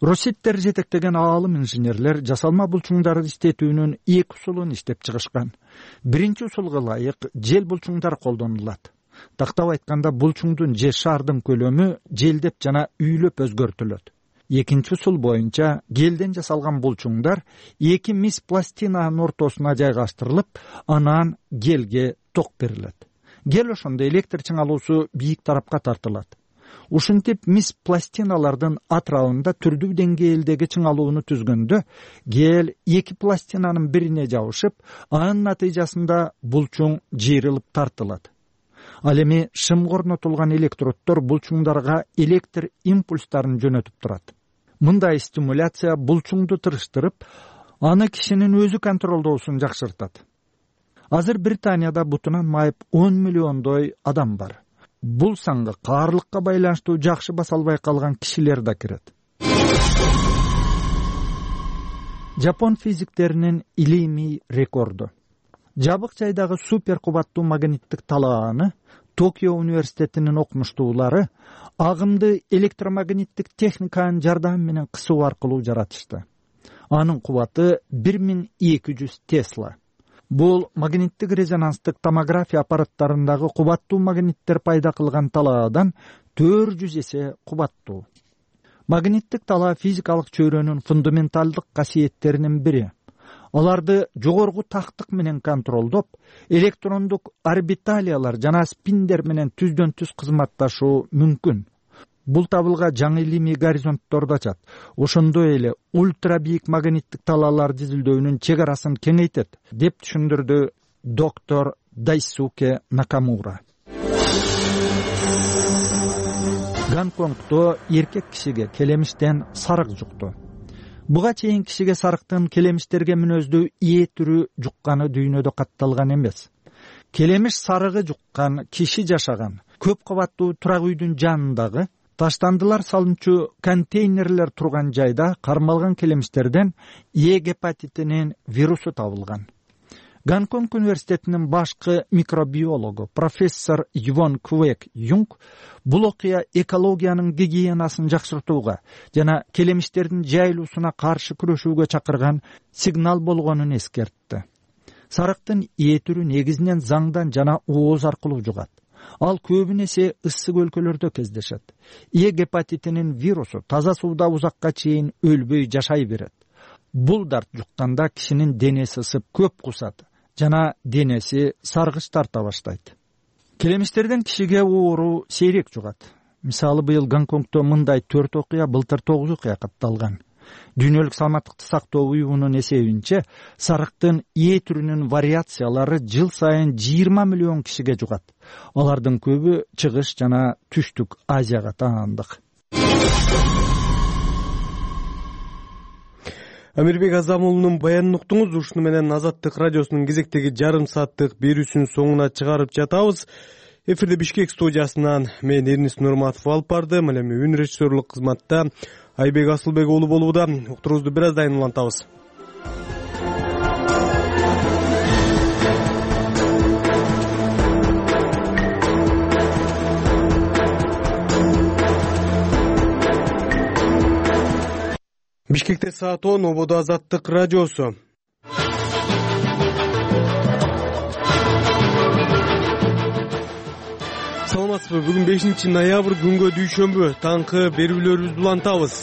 Росситтер жетектеген аалым инженерлер жасалма булчуңдарды иштетүүнүн эки усулун иштеп чыгышкан. Биринчи усулга ылайык жел булчуңдар колдонулат. Тактап айтканда булчуңдун же шардын көлөмү желдеп жана үйлөп өзгөртүлөт. Экинчи усул боюнча гелден жасалган булчуңдар эки мис пластинанын ортосуна жайгаштырылып, анан гелге ток берилет. Гел ошондо электр чыңалуусу бийик тарапка тартылат. Ушинтип мис пластиналардын атрабында түрдүү деңгээлдеги чыңалууну түзгөндө гел эки пластинанын бирине жабышып, анын натыйжасында булчуң жыйрылып тартылат. Ал эми шымга орнотулган электроддор булчуңдарга электр импульстарын жөнөтүп турат. Мындай стимуляция булчуңду тырыштырып, аны кишинин өзү контролдоосун жакшыртат. Азыр Британияда бутунан майып он миллиондой адам бар. Бул санга каарлыкка байланыштуу жакшы баса албай калган кишилер да кирет. Жапон физиктеринин илимий рекорду. Жабык жайдагы супер кубаттуу магниттик талааны Токио университетинин окумуштуулары агымды электромагниттик техниканын жардамы менен кысуу аркылуу жаратышты. Анын кубаты бир миң эки жүз тесла. Бул магниттик резонанстык томография аппараттарындагы кубаттуу магниттер пайда кылган талаадан төрт жүз эсе кубаттуу. Магниттик талаа физикалык чөйрөнүн фундаменталдык касиеттеринин бири. Аларды жогорку тактык менен контролдоп, электрондук орбиталиялар жана спиндер менен түздөн түз кызматташуу мүмкүн. Бул табылга жаңы илимий горизонтторду ачат. Ошондой эле ультра бийик магниттик талааларды изилдөөнүн чек арасын кеңейтет, деп түшүндүрдү доктор Дайсуке Накамура. Гонконгдо эркек кишиге келемиштен сарык жукту. Буга чейин кишиге сарыктын келемиштерге мүнөздүү ээ түрү жукканы дүйнөдө катталган эмес. Келемиш сарыгы жуккан киши жашаган көп кабаттуу турак үйдүн жанындагы таштандылар салынчу контейнерлер турган жайда кармалган келемиштерден Е гепатитинин вирусу табылган. Гонконг университетинин башкы микробиологу профессор Йвон Квек Юнг бул окуя экологиянын гигиенасын жакшыртууга жана келемиштердин жайылуусуна каршы күрөшүүгө чакырган сигнал болгонун эскертти. Сарыктын ээ түрү негизинен заңдан жана ооз аркылуу жугат. Ал көбүнесе ысык өлкөлөрдө кездешет. Е гепатитинин вирусу таза сууда узакка чейин өлбөй жашай берет. Бул дарт жукканда кишинин денеси ысып көп кусат жана денеси саргыч тарта баштайт. Келемиштерден кишиге оору сейрек жугат. Мисалы, быйыл Гонконгдо мындай төрт окуя, былтыр тогуз окуя катталган. Дүйнөлүк саламаттыкты сактоо уюмунун эсебинче, сарыктын ээ түрүнүн вариациялары жыл сайын жыйырма миллион кишиге жугат. Алардын көбү чыгыш жана түштүк Азияга таандык. Амирбек Азамулунун баянын уктуңуз. Ушуну менен Азаттык радиосунун кезектеги жарым сааттык берүүсүнүн соңуна чыгарып жатабыз. Эфирде Бишкек студиясынан мен Эрнис Нурматов алып бардым. Эми үн режиссерлук кызматта Айбек Асылбек уулу болууда. Уктуруубузду бир аздан кийин улантабыз. Бишкекте саат он, Ободо Азаттык радиосу. Саламатсызбы? Бүгүн бешинчи ноябрь күнгө дүйшөмбү. Таңкы берүүлөрүбүздү улантабыз.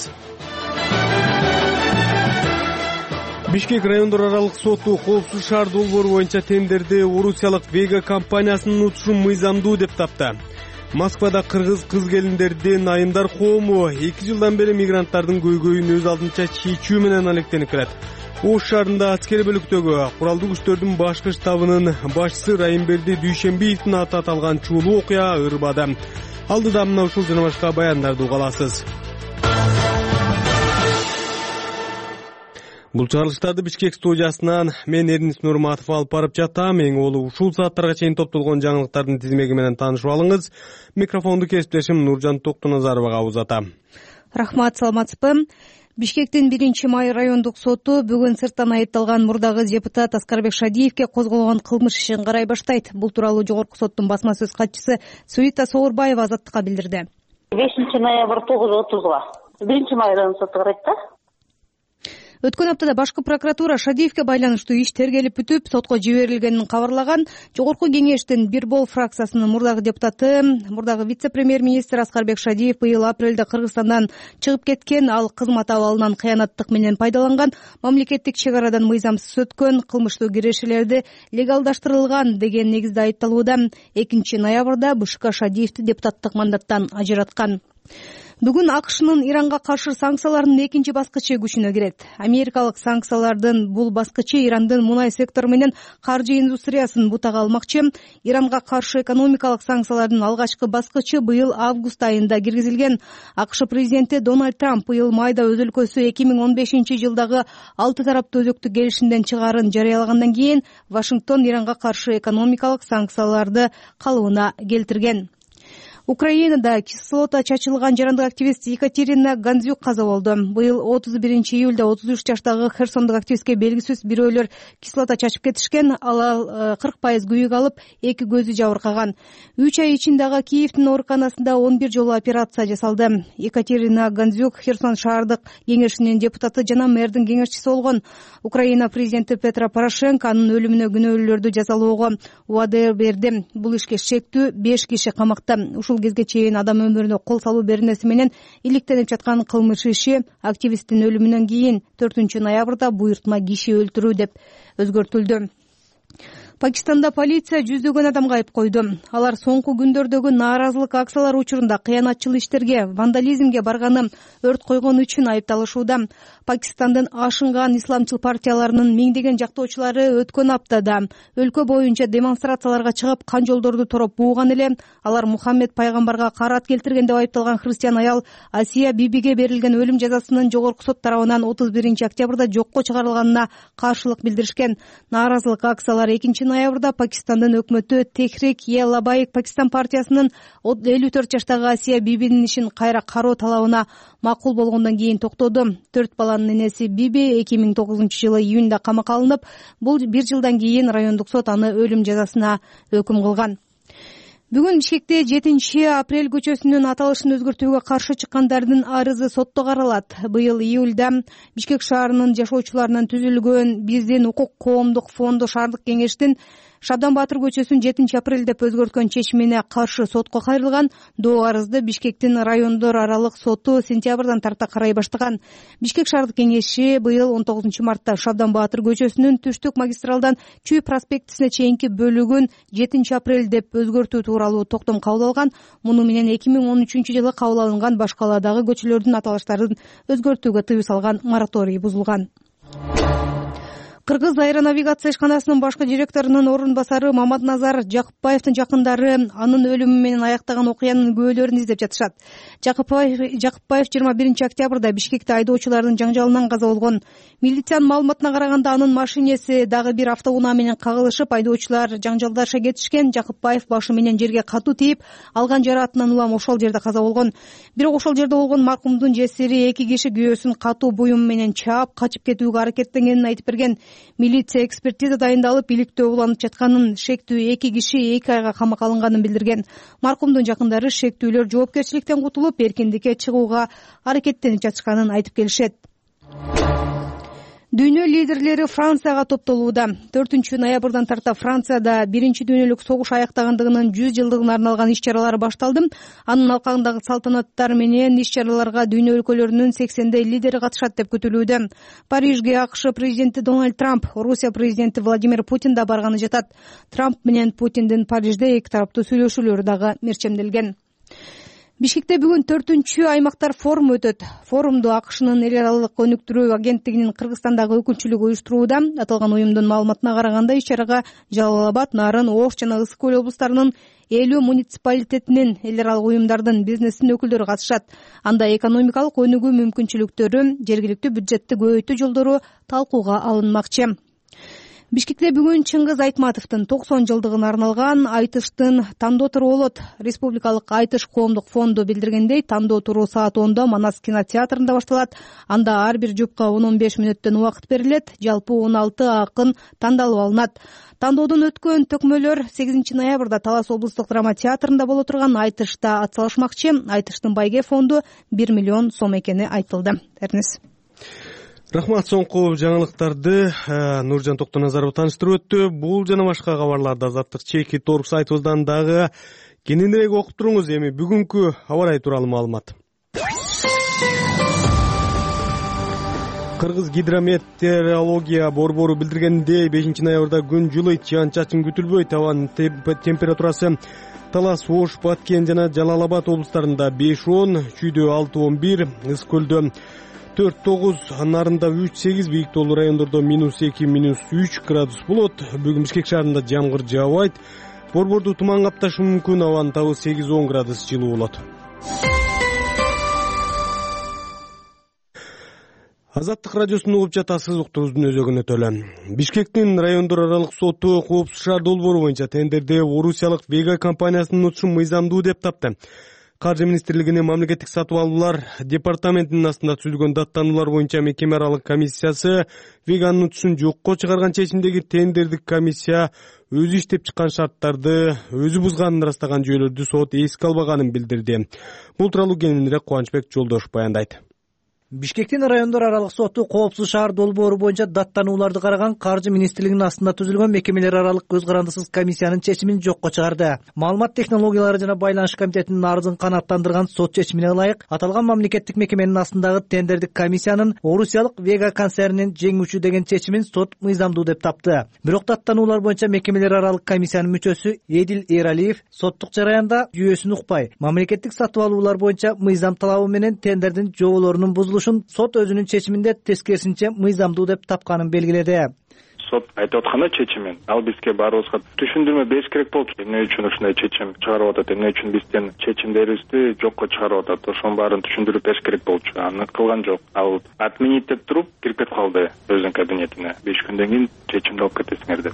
Бишкек райондор аралык соту коопсуз шаар долбоору боюнча тендерди орусиялык Вега компаниясынын утушун мыйзамдуу деп тапты. Москвада кыргыз кыз келиндердин айымдар коому эки жылдан бери мигранттардын көйгөйүн өз алдынча чечүү менен алектенип келет. Ош шаарында аскери бөлүктөгү куралдуу күчтөрдүн башкы штабынын башчысы Райымберди Дүйшембиевдин аты аталган чуулуу окуя ырбады. Алдыда мына ушул жана башка баяндарды уга аласыз. Бул чыгарылыштарды Бишкек студиясынан мен Эрнис Нурматов алып барып жатам. Эң олу ушул сааттарга чейин топтолгон жаңылыктардын тизмеги менен таанышып алыңыз. Микрофонду кесиптешим Нуржан Токтоназаровага узатам. Рахмат, саламатсызбы? Бишкектин биринчи май райондук соту бүгүн сырттан айыпталган мурдагы депутат Аскарбек Шадиевке козголгон кылмыш ишин карай баштайт. Бул тууралуу жогорку соттун басма сөз катчысы Суита Соорбаева Азаттыкка билдирди. бешинчи ноябрь тогуз отузга биринчи май райондук соту карайт да. Өткөн аптада башкы прокуратура Шадиевке байланыштуу иш тергелип бүтүп, сотко жиберилгенин кабарлаган. Жогорку кеңештин Бирбол фракциясынын мурдагы депутаты, мурдагы вице-премьер-министр Аскарбек Шадиев быйыл апрелде Кыргызстандан чыгып кеткен. Ал кызмат абалынан кыянаттык менен пайдаланган, мамлекеттик чек арадан мыйзамсыз өткөн, кылмыштуу кирешелерди легалдаштырылган деген негизде айыпталууда. экинчи ноябрда БШК Шадиевди депутаттык мандаттан ажыраткан. Бүгүн АКШнын Иранга каршы санкцияларынын экинчи баскычы күчүнө кирет. Америкалык санкциялардын бул баскычы Ирандын мунай сектору менен каржы индустриясын бутага алмакчы. Иранга каршы экономикалык санкциялардын алгачкы баскычы быйыл август айында киргизилген. АКШ президенти Дональд Трамп быйыл майда өз өлкөсү эки миң он бешинчи жылдагы алты тараптуу өзөктүк келишимден чыгаарын жарыялагандан кийин Вашингтон Иранга каршы экономикалык санкцияларды калыбына келтирген. Украинада кислота чачылган жарандык активист Екатерина Гандзюк каза болду. Быйыл отуз биринчи июлда отуз үч жаштагы херсондук активистке белгисиз бирөөлөр кислота чачып кетишкен. Ал кырк пайыз күйүк алып, эки көзү жабыркаган. үч ай ичинде Киевдин ооруканасында он бир жолу операция жасалды. Екатерина Гандзюк Херсон шаардык кеңешинин депутаты жана мэрдин кеңешчиси болгон. Украина президенти Петро Порошенко анын өлүмүнө күнөөлүүлөрдү жазалоого убада берди. Бул ишке шектүү беш киши камакта. Ушул кезге чейин адам өмүрүнө кол салуу беренеси менен иликтенип жаткан кылмыш иши активисттин өлүмүнөн кийин төртүнчү ноябрда буйртма киши өлтүрүү деп өзгөртүлдү. Пакистанда полиция жүздөгөн адамга айып койду. Алар соңку күндөрдөгү нааразылык акциялары учурунда кыянатчыл иштерге, вандализмге барганы, өрт койгон үчүн айыпталышууда. Пакистандын ашынган исламчыл партияларынын миңдеген жактоочулары өткөн аптада өлкө боюнча демонстрацияларга чыгып, кан жолдорду тороп бууган эле. Алар Мухаммед пайгамбарга карат келтирген деп айыпталган христиан аял Асия Бибиге берилген өлүм жазасынын жогорку сот тарабынан отуз биринчи октябрда жокко чыгарылганына каршылык билдиришкен. Нааразылык акциялары экинчи ноябрда Пакистандын өкмөтү Техрик е Лабайк Пакистан партиясынын элүү төрт жаштагы Асия Бибинин ишин кайра кароо талабына макул болгондон кийин токтоду. Төрт баланын энеси Биби эки миң тогузунчу жылы июнда камакка алынып, бул бир жылдан кийин райондук сот аны өлүм жазасына өкүм кылган. Бүгүн Бишкекте жетинчи апрель көчөсүнүн аталышын өзгөртүүгө каршы чыккандардын арызы сотто каралат. Быйыл июлда Бишкек шаарынын жашоочуларынан түзүлгөн биздин укук коомдук фонду шаардык кеңештин Шабдан Батыр көчөсүн жетинчи апрель деп өзгөрткөн чечимине каршы сотко кайрылган. Доо арызды Бишкектин райондор аралык соту сентябрдан тарта карай баштаган. Бишкек шаардык кеңеши быйыл он тогузунчу мартта Шабдан Батыр көчөсүнүн түштүк магистралдан Чүй проспектисине чейинки бөлүгүн жетинчи апрель деп өзгөртүү тууралуу токтом кабыл алган. Муну менен эки миң он үчүнчү жылы кабыл алынган башкаладагы көчөлөрдүн аталыштарын өзгөртүүгө тыюу салган мораторий бузулган. Кыргыз аэронавигация ишканасынын башкы директорунун орун басары Маматназар Жакыпбаевдин жакындары анын өлүмү менен аяктаган окуянын күбөлөрүн издеп жатышат. Жакыпбаев жыйырма биринчи октябрда Бишкекте айдоочулардын жаңжалынан каза болгон. Милициянын маалыматына караганда анын машинеси дагы бир автоунаа менен кагылышып, айдоочулар жаңжалдаша кетишкен. Жакыпбаев башы менен жерге катуу тийип, алган жараатынан улам ошол жерде каза болгон. Бирок ошол жерде болгон маркумдун жесири эки киши күйөөсүн катуу буюм менен чаап, качып кетүүгө аракеттенгенин айтып берген. Милиция экспертиза дайындалып, иликтөө уланып жатканын, шектүү эки киши эки айга камакка алынганын билдирген. Маркумдун жакындары шектүүлөр жоопкерчиликтен кутулуп, эркиндикке чыгууга аракеттенип жатышканын айтып келишет. Дүйнө лидерлери Францияга топтолууда. төртүнчү ноябрдан тарта Францияда биринчи дүйнөлүк согуш аяктагандыгынын жүз жылдыгына арналган иш-чаралар башталды. Анын алкагындагы салтанаттар менен иш-чараларга дүйнө өлкөлөрүнүн сексендей лидери катышат деп күтүлүүдө. Парижге АКШ президенти Дональд Трамп, Русия президенти Владимир Путин да барганы жатат. Трамп менен Путиндин Парижде эки тараптуу сүйлөшүүлөрү дагы мерчемделген. Бишкекте бүгүн төртүнчү аймактар форуму өтөт. Форумду АКШнын эл аралык өнүктүрүү агенттигинин Кыргызстандагы өкүлчүлүгү уюштурууда. Аталган уюмдун маалыматына караганда, иш-чарага Жалал Абад, Нарын, Ош жана Ысык көл облустарынын элүү муниципалитетинин, эл аралык уюмдардын, бизнестин өкүлдөрү катышат. Анда экономикалык өнүгүү мүмкүнчүлүктөрү, жергиликтүү бюджетти көбөйтүү жолдору талкууга алынмакчы. Бишкекте бүгүн Чыңгыз Айтматовдун токсон жылдыгына арналган айтыштын тандоо туру болот. Республикалык айтыш коомдук фонду билдиргендей, тандоо туру саат онда Манас кинотеатрында башталат. Анда ар бир жупка он он беш мүнөттөн убакыт берилет. Жалпы он алты акын тандалып алынат. Тандоодон өткөн төкмөлөр сегизинчи ноябрда Талас облустук драма театрында боло турган айтышта атсалышмакчы. Айтыштын байге фонду бир миллион сом экени айтылды. Эрнис. Рахмат, соңку жаңылыктарды Нуржан Токтоназаров тааныштырып өттү. Бул жана башка кабарларды Азаттык чеки торп сайтыбыздан дагы кененирээк окуп туруңуз. Эми бүгүнкү аба ырайы тууралуу маалымат. Кыргыз гидрометеорология борбору билдиргендей, бешинчи ноябрда күн жылыйт, жаан-чачын күтүлбөйт. Абанын температурасы Талас, Ош, Баткен жана Жалал Абад облустарында беш он, Чүйдө алты он бир, Ысык көлдө төрт тогуз, Нарында үч сегиз, бийик тоолуу райондордо минус эки, минус үч градус болот. Бүгүн Бишкек шаарында жамгыр жаабайт. Борборду туман капташы мүмкүн, абанын табы сегиз он градус жылуу болот. Азаттык радиосун угуп жатасыз, уктуруубуздун өзөгүнө төлө. Бишкектин райондор аралык соту Коопсуз шаар долбоору боюнча тендерде орусиялык Вега компаниясынын утушу мыйзамдуу деп тапты. Каржы министрлигинин мамлекеттик сатып алуулар департаментинин астында түзүлгөн даттануулар боюнча мекеме аралык комиссиясы Веганын утушун жокко чыгарган чечимдеги тендердик комиссия өзү иштеп чыккан шарттарды өзү бузганын ырастаган жүйөлөрдү сот эске албаганын билдирди. Бул тууралуу кененирээк Кубанычбек Жолдошов баяндайт. Бишкектин райондор аралык соту Коопсуз шаар долбоору боюнча даттанууларды караган Каржы министрлигинин астында түзүлгөн мекемелер аралык көз карандысыз комиссиянын чечимин жокко чыгарды. Маалымат технологиялары жана байланыш комитетинин арызын канааттандырган сот чечимине ылайык, аталган мамлекеттик мекеменин астындагы тендердик комиссиянын орусиялык Вега концернинин жеңүүчү деген чечимин сот мыйзамдуу деп тапты. Бирок даттануулар боюнча мекемелер аралык комиссиянын мүчөсү Эдил Эралиев соттук жараянда жүйөсүн укпай, мамлекеттик сатып алуулар боюнча мыйзам талабы менен тендердин жоболорунун бузулушун сот өзүнүн чечиминде тескерисинче мыйзамдуу деп тапканын белгиледи. Сот айтып атканы чечимин ал бизге баарыбызга түшүндүрмө бериш керек болчу. Эмне үчүн ушундай чечим чыгарып атат, эмне үчүн бизден чечимдерибизди жокко чыгарып атат, ошонун баарын түшүндүрүп бериш керек болчу. Аны кылган жок. Ал отменить деп туруп кирип кетип калды өзүнүн кабинетине. беш күндөн кийин чечимди алып кетесиңер деп.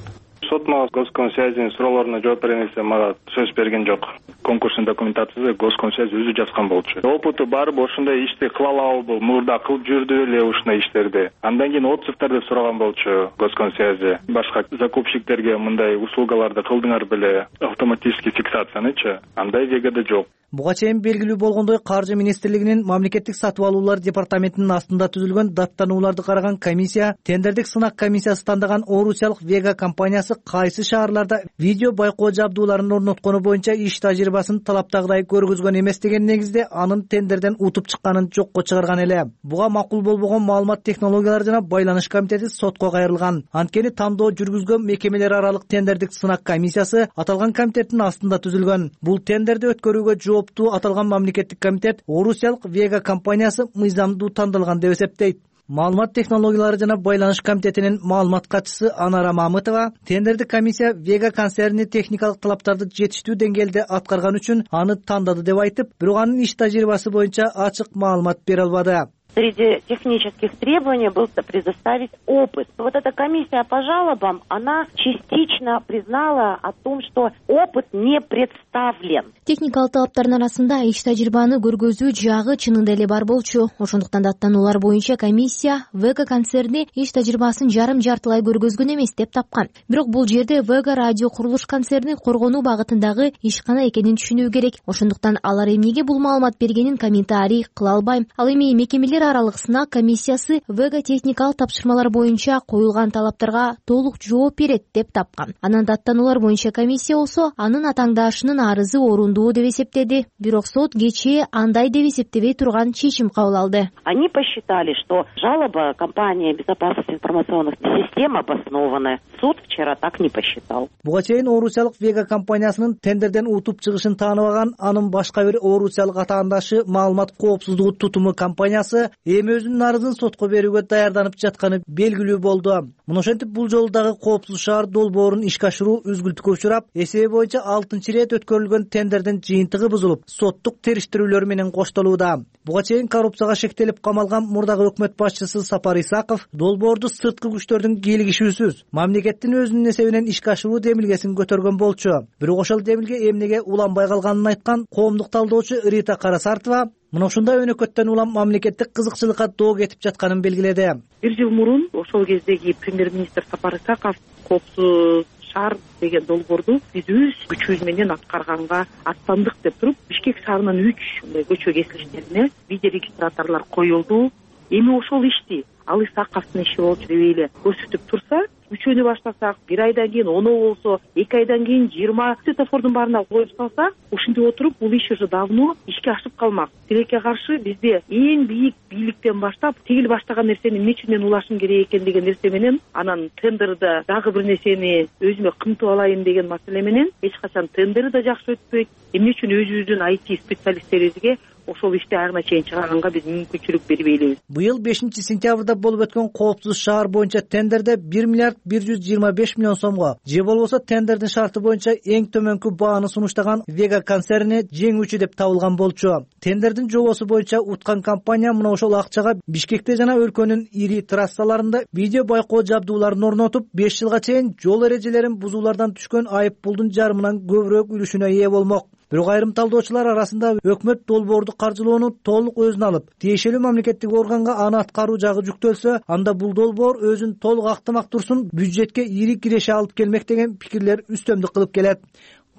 Сот мага Госкомсвязинин суроолоруна жооп берем десе мага сөз берген жок. Конкурстун документациясы Госкомсвязь өзү жазган болчу. Опыту барбы ошондой ишти кыла алабы, мурда кылып жүрдү эле ушундай иштерди. Андан кийин отзывдарды сураган болчу Госкомсвязь. Башка закупщиктерге мындай услугаларды кылдыңар беле, автоматический фиксациянычы? Андай Вегада жок. Буга чейин белгилүү болгондой, Каржы министрлигинин мамлекеттик сатып алуулар департаментинин астында түзүлгөн даттанууларды караган комиссия тендердик сынак комиссиясы тандаган орусиялык Вега компаниясы кайсы шаарларда видео байкоо жабдууларын орноткону боюнча иш тажрыйбасын талаптагыдай көргөзгөн эмес деген негизде анын тендерден утуп чыкканын жокко чыгарган эле. Буга макул болбогон маалымат технологиялары жана байланыш комитети сотко кайрылган. Анткени тандоо жүргүзгөн мекемелер аралык тендердик сынак комиссиясы аталган комитеттин астында түзүлгөн. Бул тендерди өткөрүүгө жооптуу аталган мамлекеттик комитет орусиялык Вега компаниясы мыйзамдуу тандалган деп эсептейт. Маалымат технологиялары жана байланыш комитетинин маалымат катчысы Анара Мамытова тендерди комиссия Вега концерни техникалык талаптарды жетиштүү деңгээлде аткарган үчүн аны тандады деп айтып, бирок анын иш тажрыйбасы боюнча ачык маалымат бере албады. Среди технических требований был предоставить опыт. Вот эта комиссия по жалобам, она частично признала о том, что опыт не представлен. Техникалык талаптардын арасында иш тажрыйбаны көргөзүү жагы чынында эле бар болчу. Ошондуктан даттануулар боюнча комиссия Вега концерни иш тажрыйбасын жарым-жартылай көргөзгөн эмес деп тапкан. Бирок бул жерде Вега радио курулуш концерни коргонуу багытындагы ишкана экенин түшүнүү керек. Ошондуктан алар эмнеге бул маалымат бергенин комментарий кыла албайм. Ал эми мекемелер аралык сынак комиссиясы Вега техникалык тапшырмалар боюнча коюлган талаптарга толук жооп берет деп тапкан. Анан даттануулар боюнча комиссия болсо анын атаңдаашынын арызы орундуу деп эсептеди. Бирок сот кечээ андай деп эсептебей турган чечим кабыл алды. Они посчитали, что жалоба компании безопасности информационных систем обоснованная. Суд вчера так не посчитал. Буга чейин Орусиялык Вега компаниясынын тендерден утуп чыгышын тааныбаган анын башка бир Орусиялык атаандашы маалымат коопсуздугу тутуму компаниясы эми өзүнүн арызын сотко берүүгө даярданып жатканы белгилүү болду. Мына ошентип бул жолу дагы коопсуз шаар долбоорун ишке ашыруу үзгүлтүккө учурап, эсеби боюнча алтынчы ирет өткөрүлгөн тендердин жыйынтыгы бузулуп, соттук териштирүүлөр менен коштолууда. Буга чейин коррупцияга шектелип камалган мурдагы өкмөт башчысы Сапар Исаков долбоорду сырткы күчтөрдүн кийлигишүүсүз мамлекеттин өзүнүн эсебинен ишке ашыруу демилгесин көтөргөн болчу. Бирок ошол демилге эмнеге уланбай калганын айткан коомдук талдоочу Рита Карасартова мына ушундай өнөкөттөн улам мамлекеттик кызыкчылыкка доо кетип жатканын белгиледи. Бир жыл мурун ошол кездеги премьер-министр Сапар Исаков коопсуз шаар деген долбоорду биз өз күчүбүз менен аткарганга аттандык деп туруп, Бишкек шаарынын үч көчө кесилиштерине видеорегистраторлор коюлду. Эми ошол ишти ал Исаковдун иши болчу деп эле көрсөтүп турса, үчөөнү баштасак, бир айдан кийин оно болсо, эки айдан кийин жыйырма светофордун баарына коюп салсак, ушинтип отуруп бул иш уже давно ишке ашып калмак. Тилекке каршы бизде эң бийик бийликтен баштап тигил баштаган нерсени эмне үчүн мен улашым керек экен деген нерсе менен, анан тендерде дагы бир нерсени өзүмө кымтып алайын деген маселе менен эч качан тендер да жакшы өтпөйт. Эмне үчүн өзүбүздүн ай ти специалисттерибизге ошол ишти айрына чейин чыгарганга биз мүмкүнчүлүк бербей элебиз. Быйыл бешинчи сентябрда болуп өткөн коопсуз шаар боюнча тендерде бир миллиард бир жүз жыйырма беш миллион сомго, же болбосо тендердин шарты боюнча эң төмөнкү бааны сунуштаган Вега концерни жеңүүчү деп табылган болчу. Тендердин жобосу боюнча уткан компания мына ошол акчага Бишкекте жана өлкөнүн ири трассаларында видео байкоо жабдууларын орнотуп, беш жылга чейин жол эрежелерин бузуулардан түшкөн айып пулдун жарымынан көбүрөөк үлүшүнө ээ болмок. Бирок айрым талдоочулар арасында өкмөт долбоорду каржылоону толук өзүнө алып, тиешелүү мамлекеттик органга аны аткаруу жагы жүктөлсө, анда бул долбоор өзүн толук актамак турсун, бюджетке ири киреше алып келмек деген пикирлер үстөмдүк кылып келет.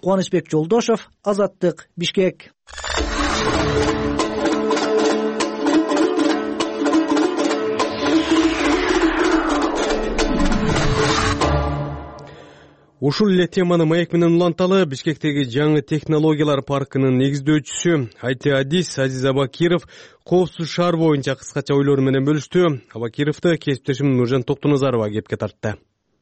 Кубанычбек Жолдошов, Азаттык, Бишкек. Ушул эле теманы маек менен уланталы. Бишкектеги жаңы технологиялар паркынын негиздөөчүсү ай ти Адис Азиз Абакиров коопсуз шаар боюнча кыскача ойлору менен бөлүштү. Абакировду кесиптешим Нуржан Токтоназарова кепке тартты.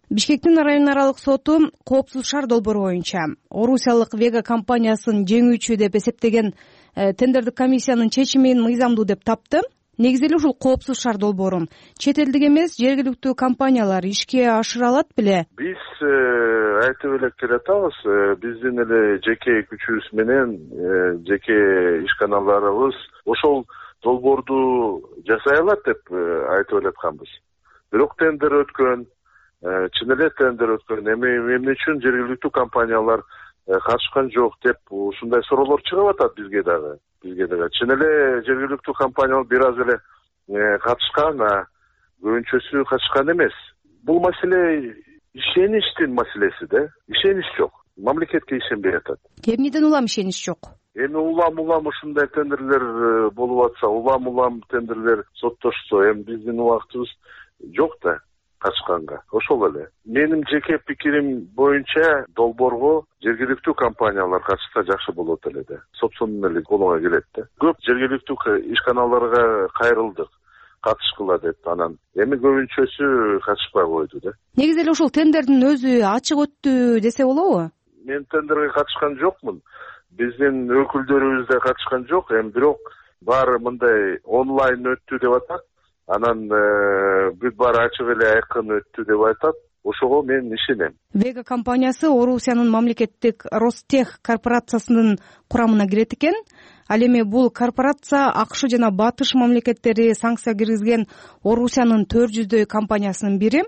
Бишкектин район аралык соту коопсуз шаар долбоору боюнча Орусиялык Вега компаниясын жеңүүчү деп эсептеген тендердик комиссиянын чечимин мыйзамдуу деп тапты. Негизи эле ушул коопсуз шаар долбоорун чет элдик эмес, жергиликтүү компаниялар ишке ашыра алат беле? Биз айтып эле келатабыз, биздин эле жеке күчүбүз менен жеке ишканаларыбыз ошол долбоорду жасай алат деп айтып эле. Бирок тендер өткөн, чын эле тендер өткөн, эми эмне үчүн жергиликтүү компаниялар катышкан жок деп ушундай суроолор чыгып атат бизге дагы. Бизге дагы чын эле жергиликтүү компаниялар бир аз эле катышкан, көбүнчөсү катышкан эмес. Бул маселе ишеничтин маселеси да. Ишенич жок. Мамлекетке ишенбей атат. Эмнеден улам ишенич жок? Эми улам-улам ушундай тендерлер болуп атса, улам-улам тендерлер соттошсо, эми биздин убактыбыз жок да катышканга. Ошол эле. Менин жеке пикирим боюнча долбоорго жергиликтүү компаниялар катышса жакшы болот эле да. Собственный эле колуңа келет да. Көп жергиликтүү ишканаларга кайрылдык катышкыла деп, анан эми көбүнчөсү катышпай койду да. Негизи эле ушул тендердин өзү ачык өттү десе болобу? Мен тендерге катышкан жокмун. Биздин өкүлдөрүбүз да катышкан жок. Эми бирок баары мындай онлайн өттү деп атат. анан бүт баары ачык эле айкын өттү деп айтат. Ошого мен ишенем. Вега компаниясы Орусиянын мамлекеттик Ростех корпорациясынын курамына кирет экен. Ал эми бул корпорация АКШ жана Батыш мамлекеттери санкция киргизген Орусиянын төрт жүздөй компаниясынын бири.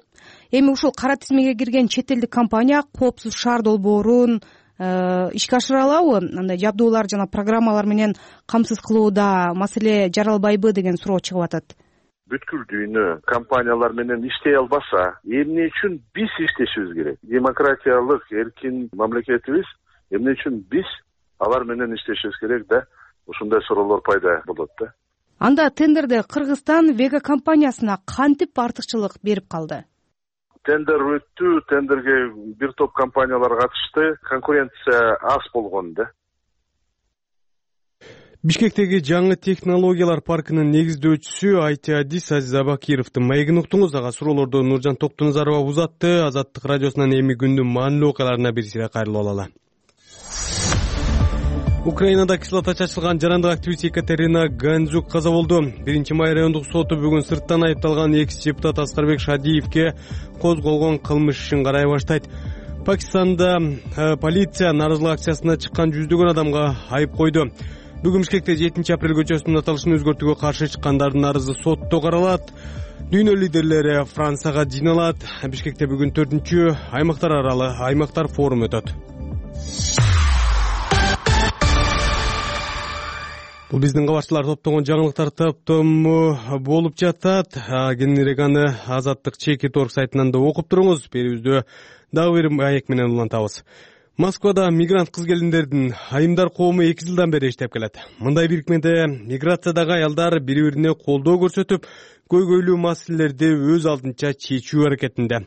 Эми ушул кара тизмеге кирген чет элдик компания коопсуз шаар долбоорун ишке ашыра алабы? Андай жабдуулар жана программалар менен камсыз кылууда маселе жаралбайбы деген суроо чыгып атат. Бүткүл дүйнө компаниялар менен иштей албаса, эмне үчүн биз иштешибиз керек? Демократиялык, эркин мамлекетибиз, эмне үчүн биз алар менен иштешибиз керек да? Ушундай суроолор пайда болот да. Анда тендерде Кыргызстан Вега компаниясына кантип артыкчылык берип калды? Тендер өттү, тендерге бир топ компаниялар катышты, конкуренция аз болгон да. Бишкектеги жаңы технологиялар паркынын негиздөөчүсү ай ти адис Азиз Абакировдун маегин уктуңуз. Ага суроолорду Нуржан Токтуназарова узатты. Азаттык радиосунан эми күндүн маанилүү окуяларына бир сире кайрылып алалы. Украинада кислота чачылган жарандык активист Екатерина Ганзюк каза болду. биринчи май райондук соту бүгүн сырттан айыпталган экс депутат Аскарбек Шадиевке козголгон кылмыш ишин карай баштайт. Пакистанда полиция нааразылык акциясына чыккан жүздөгөн адамга айып койду. Бүгүн Бишкекте жетинчи апрель көчөсүнүн аталышын өзгөртүүгө каршы чыккандардын арызы сотто каралат. Дүйнө лидерлери Францияга жыйналат. Бишкекте бүгүн төртүнчү аймактар аралык аймактар форуму өтөт. Бул биздин кабарчылар топтогон жаңылыктар топтому болуп жатат. Кененирээк аны Азаттык чеки торг сайтынан да окуп туруңуз. Берүүбүздө дагы бир маек менен улантабыз. Москвада мигрант кыз-келиндердин айымдар коому эки жылдан бери иштеп келет. Мындай бирикмеде миграциядагы аялдар бири-бирине колдоо көрсөтүп, көйгөйлүү маселелерди өз алдынча чечүү аракетинде.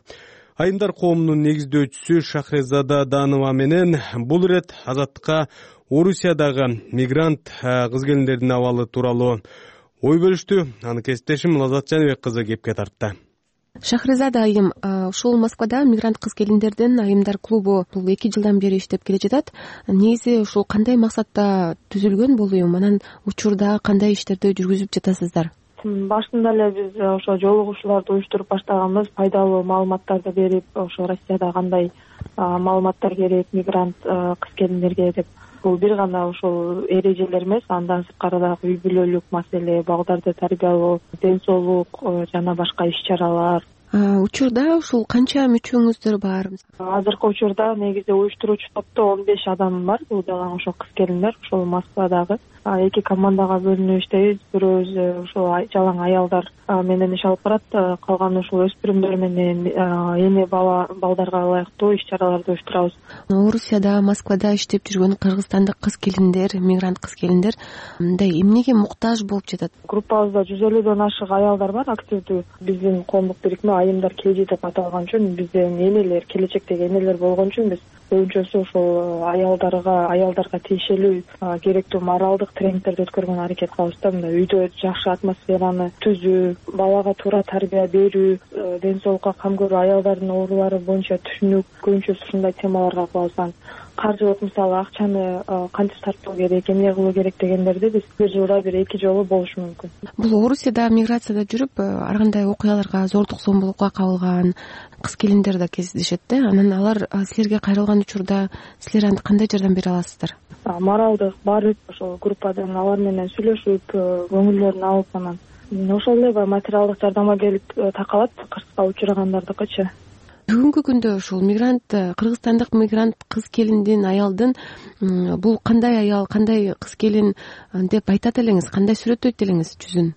Айымдар коомунун негиздөөчүсү Шахрезада Данова менен бул ирет Азаттыкка Орусиядагы мигрант кыз-келиндердин абалы тууралуу ой бөлүштү. Аны кесиптешим Лазат Жаныбек кызы кепке тартты. Шахрезада айым, ушул Москвада мигрант кыз-келиндердин айымдар клубу бул эки жылдан бери иштеп келе жатат. Негизи ушул кандай максатта түзүлгөн бул уюм? Анан учурда кандай иштерди жүргүзүп жатасыздар? Башында эле биз ошо жолугушууларды уюштуруп баштаганбыз, пайдалуу маалыматтарды берип, ошо Россияда кандай маалыматтар керек мигрант кыз-келиндерге деп. Бул бир гана ошол эрежелер эмес, андан сырткары дагы үй бүлөлүк маселе, балдарды тарбиялоо, ден соолук жана башка иш-чаралар. Учурда ушул канча мүчөңүздөр бар? Азыркы учурда негизи уюштуруучу топто он беш адам бар. Бул дагы ошо кыз-келиндер, ошол Москвадагы. Эки командага бөлүнүп иштейбиз. Бирөөбүз ошол жалаң аялдар менен иш алып барат, калган ушул өспүрүмдөр менен эне бала балдарга ылайыктуу иш-чараларды уюштурабыз. Орусияда, Москвада иштеп жүргөн кыргызстандык кыз-келиндер, мигрант кыз-келиндер мындай эмнеге муктаж болуп жатат? Группабызда жүз элүүдөн ашык аялдар бар, активдүү. Биздин коомдук бирикме айымдар келжи деп аталган үчүн, биздин энелер, келечектеги энелер болгон үчүн биз көбүнчөсү ошол аялдарга, аялдарга тиешелүү керектүү моралдык тренингтерди өткөргөнгө аракет кылабыз да. Мындай үйдө жакшы атмосфераны түзүү, балага туура тарбия берүү, ден соолукка кам көрүү, аялдардын оорулары боюнча түшүнүк, көбүнчөсү ушундай темаларга кылабыз. Каржылык мисалы акчаны кантип сарптоо керек, эмне кылуу керек дегендерди биз бир жылда бир эки жолу болушу мүмкүн. Бул Орусияда миграцияда жүрүп ар кандай окуяларга, зордук зомбулукка кабылган кыз-келиндер да кездешет да. Анан алар силерге кайрылган учурда силер кандай жардам бере аласыздар? Моралдык барып, ошол группадан алар менен сүйлөшүп, көңүлдөрүн алып, анан ошол эле материалдык жардамга келип такалат кырсыкка учурагандардыкычы. Бүгүнкү күндө ушул мигрант, кыргызстандык мигрант кыз-келиндин, аялдын бул кандай аял, кандай кыз-келин деп айтат элеңиз, кандай сүрөттөйт элеңиз жүзүн?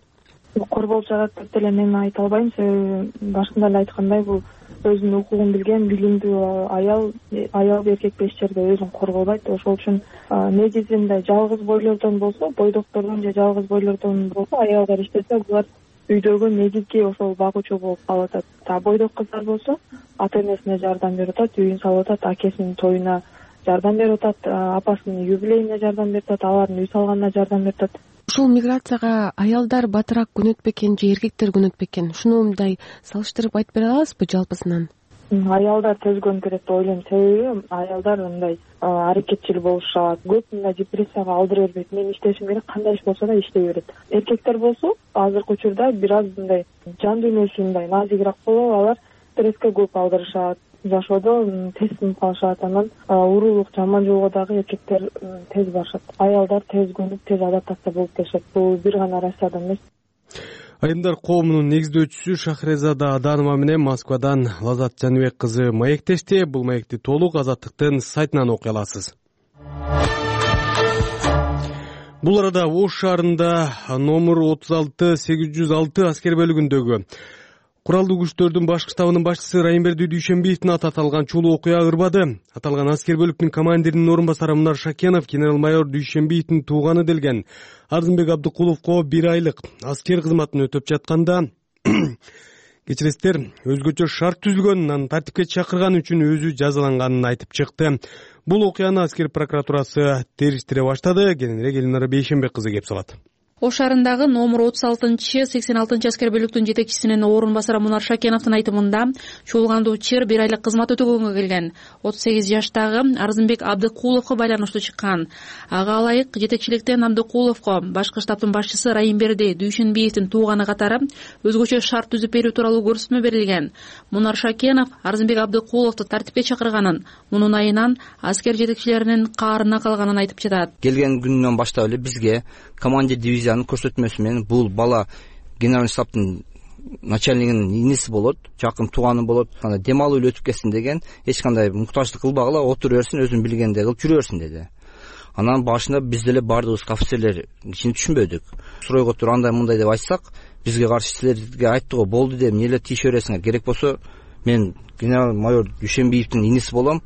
Корголуп жатат деп деле мен айта албайм, себеби башында эле айткандай бул өзүнүн укугун билген, билимдүү аял, аял эркек эч жерде өзүн корголбайт. Ошол үчүн негизинде жалгыз бойлордон болсо, бойдоктордон же жалгыз бойлордон болсо аялдар иштесе, булар үйдөгү негизги ошол багуучу болуп калып атат. Та бойдок кыздар болсо ата энесине жардам берип атат, үйүн салып атат, акесинин тоюна жардам берип атат, апасынын юбилейине жардам берип атат, алардын үй салганына жардам берип атат. Ушул миграцияга аялдар батыраак күнөт бекен же эркектер күнөт бекен? Ушуну мындай салыштырып айтып бере аласызбы жалпысынан? Аялдар тезгөн керек деп ойлойм. Себеби аялдар мындай аракетчил болушат, көп мындай депрессияга алдыра бербейт. Мен иштешим керек, кандай иш болсо да иштей берет. Эркектер болсо азыркы учурда бир аз мындай жан дүйнөсү мындай назигирээк болуп, алар стресске көп алдырышат, жашоодо тез сынып калышат. Анан уурулук, жаман жолго дагы эркектер тез барышат. Аялдар тез көнүп, тез адаптация болуп келишет. Бул бир гана Россияда эмес. Айымдар коомунун негиздөөчүсү Шахрезада Аданова менен Москвадан Лазат Жаныбек кызы маектешти. Бул маекти толук Азаттыктын сайтынан окуй аласыз. Бул арада Ош шаарында номер отуз алты сегиз жүз алты аскер бөлүгүндөгү куралдуу күчтөрдүн башкы штабынын башчысы Райымберди Дүйшенбиевдин аты аталган чулуу окуя ырбады. Аталган аскер бөлүктүн командиринин орун басары Мунар Шакенов генерал-майор Дүйшенбиевдин тууганы делген Арзымбек Абдыкуловго бир айлык аскер кызматын өтөп жатканда кечиресиздер, өзгөчө шарт түзүлгөн, анан тартипке чакырган үчүн өзү жазаланганын айтып чыкты. Бул окуяны аскер прокуратурасы териштире баштады. Кененирээк Элинара Бейшенбек кызы кеп салат. Ош шаарындагы номер отуз алтынчы сексен алтынчы аскер бөлүктүн жетекчисинин орун басары Мунар Шакеновдун айтымында чуулгандуу чыр бир айлык кызмат өтөгөнгө келген отуз сегиз жаштагы Арзымбек Абдыкуловго байланыштуу чыккан. Ага ылайык жетекчиликтен Абдыкуловго башкы штабтын башчысы Райымберди Дүйшенбиевдин тууганы катары өзгөчө шарт түзүп берүү тууралуу көрсөтмө берилген. Мунар Шакенов Арзымбек Абдыкуловду тартипке чакырганын, мунун айынан аскер жетекчилеринин каарына калганын айтып жатат. Келген күнүнөн баштап эле бизге командир дивизиянын көрсөтмөсү менен бул бала генеральный штабтын начальнигинин иниси болот, жакын тууганы болот. Анда дем алуу эле өтүп кетсин деген, эч кандай муктаждык кылбагыла, отура берсин, өзүн билгендей кылып жүрө берсин деди. Анан башында биз деле баардыгыбыз офицерлер кичине түшүнбөдүк. Суройго туруп андай мындай деп айтсак, бизге каршы силерге айтты го, болду деп эмне эле тийише бересиңер, керек болсо мен генерал-майор Дүйшенбиевдин иниси болом,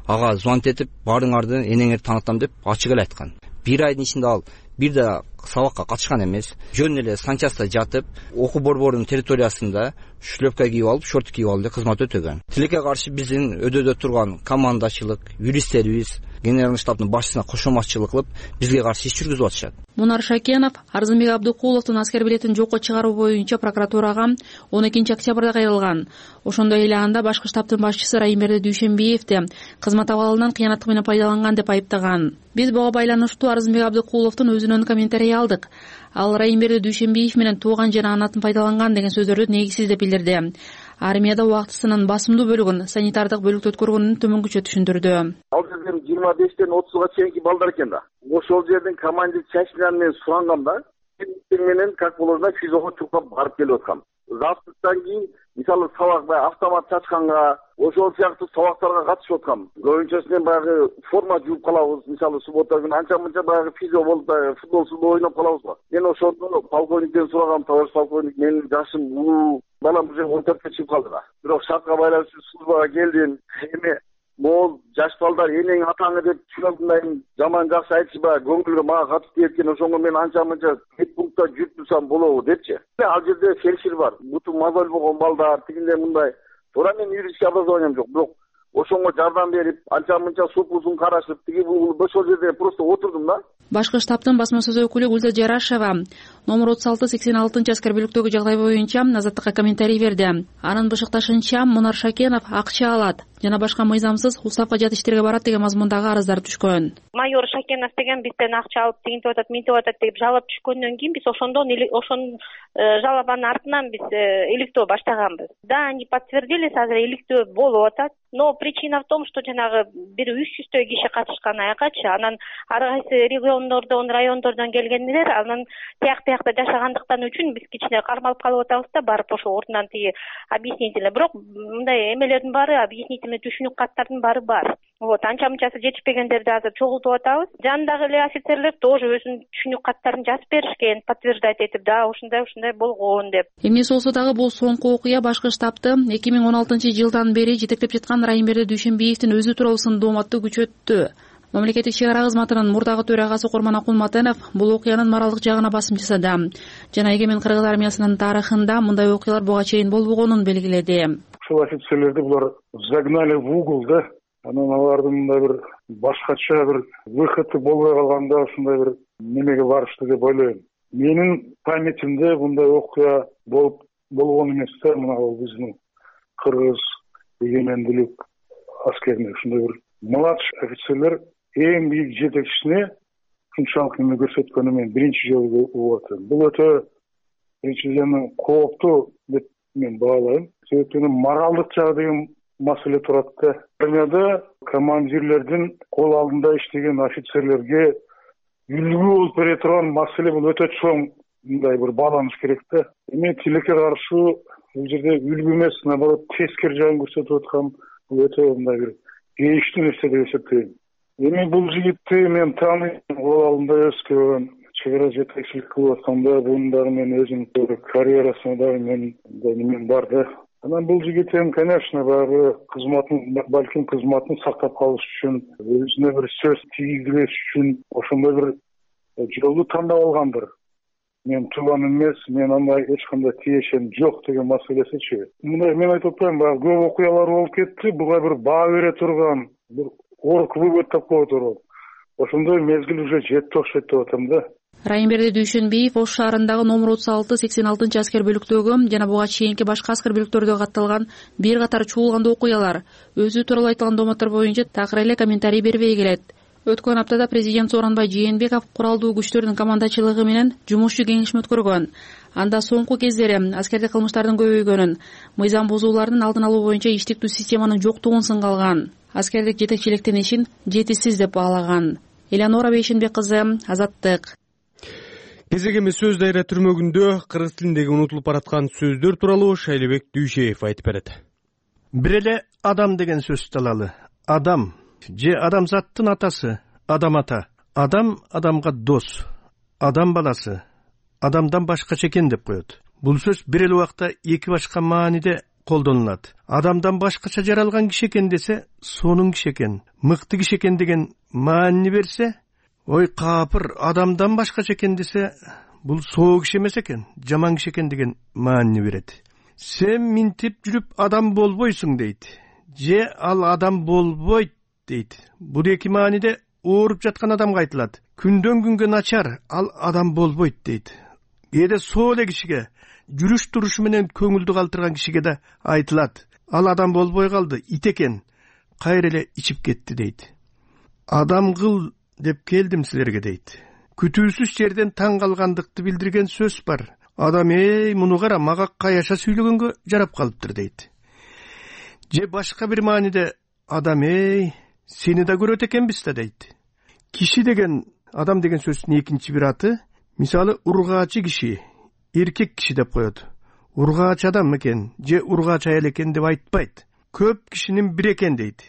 ага звонить этип баарыңарды энеңерди таанытам деп ачык эле айткан. Бир айдын ичинде ал бир да сабакка катышкан эмес, жөн эле санчаста жатып, окуу борборунун территориясында шлепка кийип алып, шорт кийип алып эле кызмат өтөгөн. Тилекке каршы биздин өдөдө турган командачылык, юристтерибиз генеральный штабтын башчысына кошоматчылык кылып, бизге каршы иш жүргүзүп атышат. Мунар Шакенов Арзымбек Абдыкуловдун аскер билетин жокко чыгаруу боюнча прокуратурага он экинчи октябрда кайрылган. Ошондой эле анда башкы штабтын башчысы Райымберди Дүйшенбиевди кызмат абалынан кыянаттык менен пайдаланган деп айыптаган. Биз буга байланыштуу Арзымбек Абдыкуловдун өзүнөн комментарий алдык. Ал Райымберди Дүйшенбиев менен тууган жана анатын пайдаланган деген сөздөрдү негизсиз деп билдирди. Армияда убактысынын басымдуу бөлүгүн санитардык бөлүктө өткөргөнүн төмөнгүчө түшүндүрдү. Ал жерден жыйырма бештен отузга чейинки балдар экен да. Ошол жерден командир Чачинан менен сурангам да, менен как положено физого чукап барып келип аткам. Завтрактан кийин мисалы сабак баягы автомат чачканга, ошол сыяктуу сабактарга катышып аткам. Көбүнчөсү менен баягы форма жууп калабыз, мисалы суббота күнү анча-мынча баягы физо болуп футболсуз ойноп калабыз го. Мен ошондо полковниктен сурагам, товарищ полковник, менин жашым улуу, балам уже он төрткө чыгып калды да. Бирок шартка байланыштуу службага келдим. Эми могул жаш балдар энең атаңы деп түшүнөм, жаман жакшы айтышпа, көңүлгө мага катып тиет экен, ошондо мен анча-мынча медпунктта жүрүп турсам болобу депчи. Ал жерде фельдшер бар, буту мозоль болгон балдар, тигинде мындай. Туура мен юридический образованием жок, бирок ошонго жардам берип, анча-мынча супузун карашып, тиги бул ошол жерде просто отурдум да. Башкы штабтын басма сөз өкүлү Гүлзат Жарашева номер отуз алты сексен алтынчы аскер бөлүктөгү жагдай боюнча Азаттыкка комментарий берди. Анын бышыкташынча Мунар Шакенов акча алат жана башка мыйзамсыз уставка жат иштерге барат деген мазмундагы арыздар түшкөн. Майор Шакенов деген бизден акча алып тигинтип атат, минтип атат деп жалап түшкөндөн кийин биз ошондон ошон жалабанын артынан биз иликтөө баштаганбыз. Да, они подтвердились, азыр иликтөө болуп атат. Но причина в том, что жанагы бир үч жүздөй киши катышкан аякачы, анан ар кайсы региондордон, райондордон келгендер, анан тияк биякта жашагандыктан үчүн биз кичине кармалып калып атабыз да, барып ошо ордунан тиги объяснительный. Бирок мындай эмелердин баары, объяснительный түшүнүк каттардын баары бар. Вот, анча-мынчасы жетишпегендерди азыр чогултуп атабыз. Жанындагы эле офицерлер тоже өзүнүн түшүнүк каттарын жазып беришкен, подтверждать этип, да, ушундай ушундай болгон деп. Эмнеси болсо дагы бул соңку окуя башкы штабты эки миң он алтынчы жылдан бери жетектеп жаткан Райымберди Дүйшенбиевдин өзү тууралуу сындооматты күчөттү. Мамлекеттик чек ара кызматынын мурдагы төрагасы Курман Акулматенов бул окуянын моралдык жагына басым жасады жана эгемен кыргыз армиясынын тарыхында мындай окуялар буга чейин болбогонун белгиледи. Ушул офицерлерди булар загнали в угол да. Анан алардын мындай бир башкача бир выходу болбой калганда ушундай бир немеге барышты деп ойлойм. Менин памятимде мындай окуя болуп болгон эмес да, мына биздин кыргыз эгемендүүлүк аскерине ушундай бир младший офицерлер эң бийик жетекчисине ушунчалык эме көрсөткөнү мен биринчи жолу угуп атам. Бул өтө биринчиден кооптуу деп мен баалайм. Себеби моралдык жагы деген маселе турат да. Армияда командирлердин кол алдында иштеген офицерлерге үлгү болуп бере турган маселе бул өтө чоң мындай бир бааланыш керек да. Эми тилекке каршы бул жерде үлгү эмес, наоборот тескери жагын көрсөтүп аткан бул өтө мындай бир кейиштүү нерсе деп эсептейм. Эми бул жигитти мен тааныйм, кол алдында өскөн, чек ара жетекчилик кылып атканда бунун дагы мен өзүм карьерасына дагы мен немен бар да. Анан бул жигит эми, конечно, баягы кызматын, балким кызматын сактап калыш үчүн, өзүнө бир сөз тийгизбеш үчүн ошондой бир жолду тандап алгандыр. Мен тууган эмес, мен андай эч кандай тиешем жок деген маселесичи. Мындай мен айтып атпайм, баягы көп окуялар болуп кетти, буга бир баа бере турган, бир орк бөгөт тапкан турган. Ошондой мезгил уже жетти окшойт деп атам да. Райымберди Дүйшөнбиев Ош шаарындагы номер отуз алты сексен алтынчы аскер бөлүктөгү жана буга чейинки башка аскер бөлүктөрдө катталган бир катар чуулгандуу окуялар, өзү тууралуу айтылган домотор боюнча такыр эле комментарий бербей келет. Өткөн аптада президент Сооронбай Жээнбеков куралдуу күчтөрдүн командачылыгы менен жумушчу кеңешме өткөргөн. Анда соңку кездери аскердик кылмыштардын көбөйгөнүн, мыйзам бузуулардын алдын алуу боюнча иштиктүү системанын жоктугун сынга алган, аскердик жетекчиликтин ишин жетишсиз деп баалаган. Элеонора Бейшенбек кызы, Азаттык. Кезегеми сөз дайра түрмөгүндө кыргыз тилиндеги унутулуп бараткан сөздөр тууралуу Шайлебек Дүйшеев айтып берет. Бир эле адам деген сөздү алалы. Адам же адамзаттын атасы, адам ата. Адам адамга дос, адам баласы, адамдан башкача экен деп коет. Бул сөз бир эле убакта эки башка мааниде колдонулат. Адамдан башкача жаралган киши экен десе, сонун киши экен, мыкты киши экен деген маанини берсе, ой капыр, адамдан башкача экен десе, бул соо киши эмес экен, жаман киши экен деген маанини берет. Сен минтип жүрүп адам болбойсуң дейт. Же ал адам болбойт дейт. Бул эки мааниде ооруп жаткан адамга айтылат. Күндөн күнгө начар, ал адам болбойт дейт. Кээде соо эле кишиге, жүрүш турушу менен көңүлдү калтырган кишиге да айтылат. Ал адам болбой калды, ит экен, кайра эле ичип кетти дейт. Адам кыл деп келдим силерге дейт. Күтүүсүз жерден таң калгандыкты билдирген сөз бар. Адам эй, муну кара, мага каяша сүйлөгөнгө жарап калыптыр дейт. Же башка бир мааниде адам эй, сени да көрөт экенбиз да дейт. Киши деген, адам деген сөздүн экинчи бир аты, мисалы ургаачы киши, эркек киши деп коет. Ургаач адам экен, же ургаач аял экен деп айтпайт. Көп кишинин бир экен дейт.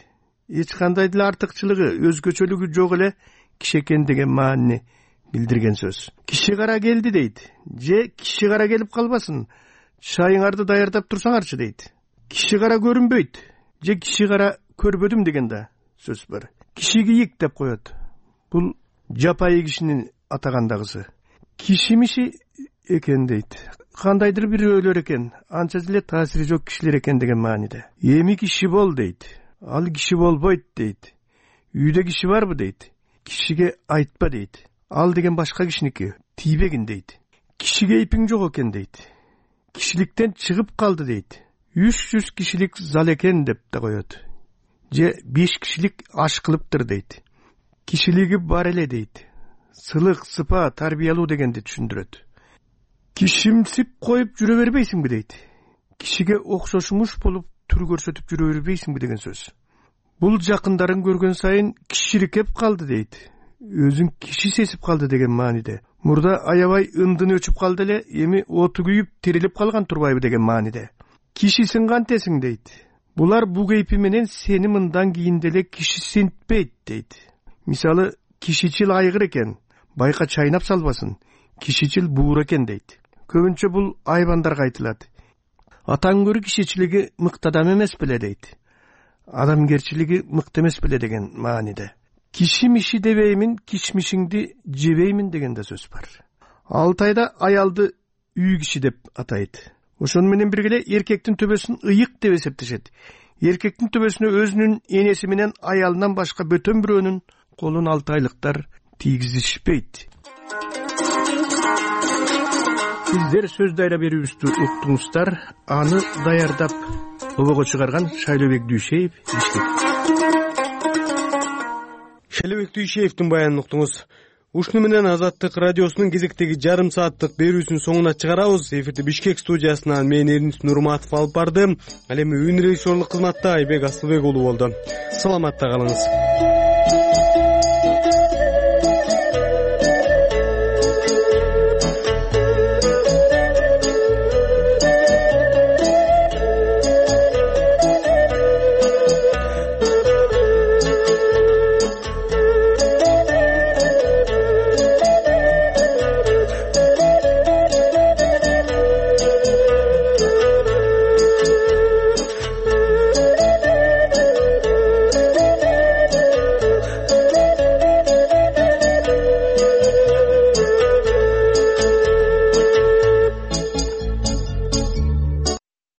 Эч кандай деле артыкчылыгы, өзгөчөлүгү жок эле киши экен деген маанини билдирген сөз. Киши кара келди дейт. Же киши кара келип калбасын, чайыңарды даярдап турсаңарчы дейт. Киши кара көрүнбөйт. Же киши кара көрбөдүм деген да сөз бар. Киши кийик деп коет. Бул жапайы кишинин атагандагысы. Кишимиши экен дейт. Кандайдыр бир өлөр экен, анча деле таасири жок кишилер экен деген мааниде. Эми киши бол дейт. Ал киши болбойт дейт. Үйдө киши барбы дейт. Кишиге айтпа дейт. Ал деген башка кишиники, тийбегин дейт. Кишиге ипиң жок экен дейт. Кишиликтен чыгып калды дейт. үч жүз кишилик зал экен деп да коет. Же беш кишилик аш кылыптыр дейт. Кишилиги бар эле дейт. Сылык, сыпа, тарбиялуу дегенди түшүндүрөт. Кишимсип коюп жүрө бербейсиңби дейт. Кишиге окшошмуш болуп түр көрсөтүп жүрө бербейсиңби деген сөз. Бул жакындарын көргөн сайын киширикеп калды дейт. Өзүн киши сезип калды деген мааниде. Мурда аябай ындын өчүп калды эле, эми оту күйүп тирилип калган турбайбы деген мааниде. Кишисиң кантесиң дейт. Булар бу кейпи менен сени мындан кийин деле киши синтпейт дейт. Мисалы, кишичил айгыр экен, байка чайнап салбасын, кишичил буур экен дейт. Көбүнчө бул айбандарга айтылат. Атаң көрү кишичилиги мыкты адам эмес беле дейт. Адамгерчилиги мыкты эмес беле деген мааниде. Кишимиши дебеймин, кишмишиңди жебеймин деген да сөз бар. Алтайда аялды үй киши деп атайт. Ошону менен бирге эркектин төбөсүн ыйык деп эсептешет. Эркектин төбөсүнө өзүнүн энеси менен аялынан башка бөтөн бирөөнүн колун алтайлыктар тийгизишпейт. сиздер сөз дайра берүүбүздү уктуңуздар. Аны даярдап обого чыгарган Шайлообек Дүйшеев. Шайлообек Дүйшеевдин баянын уктуңуз. Ушуну менен Азаттык радиосунун кезектеги жарым сааттык берүүсүн соңуна чыгарабыз. Эфирди Бишкек студиясынан мен Эрнис Нурматов алып барды. Ал эми үн режиссерлук кызматта Айбек Асылбек уулу болду. Саламатта калыңыз.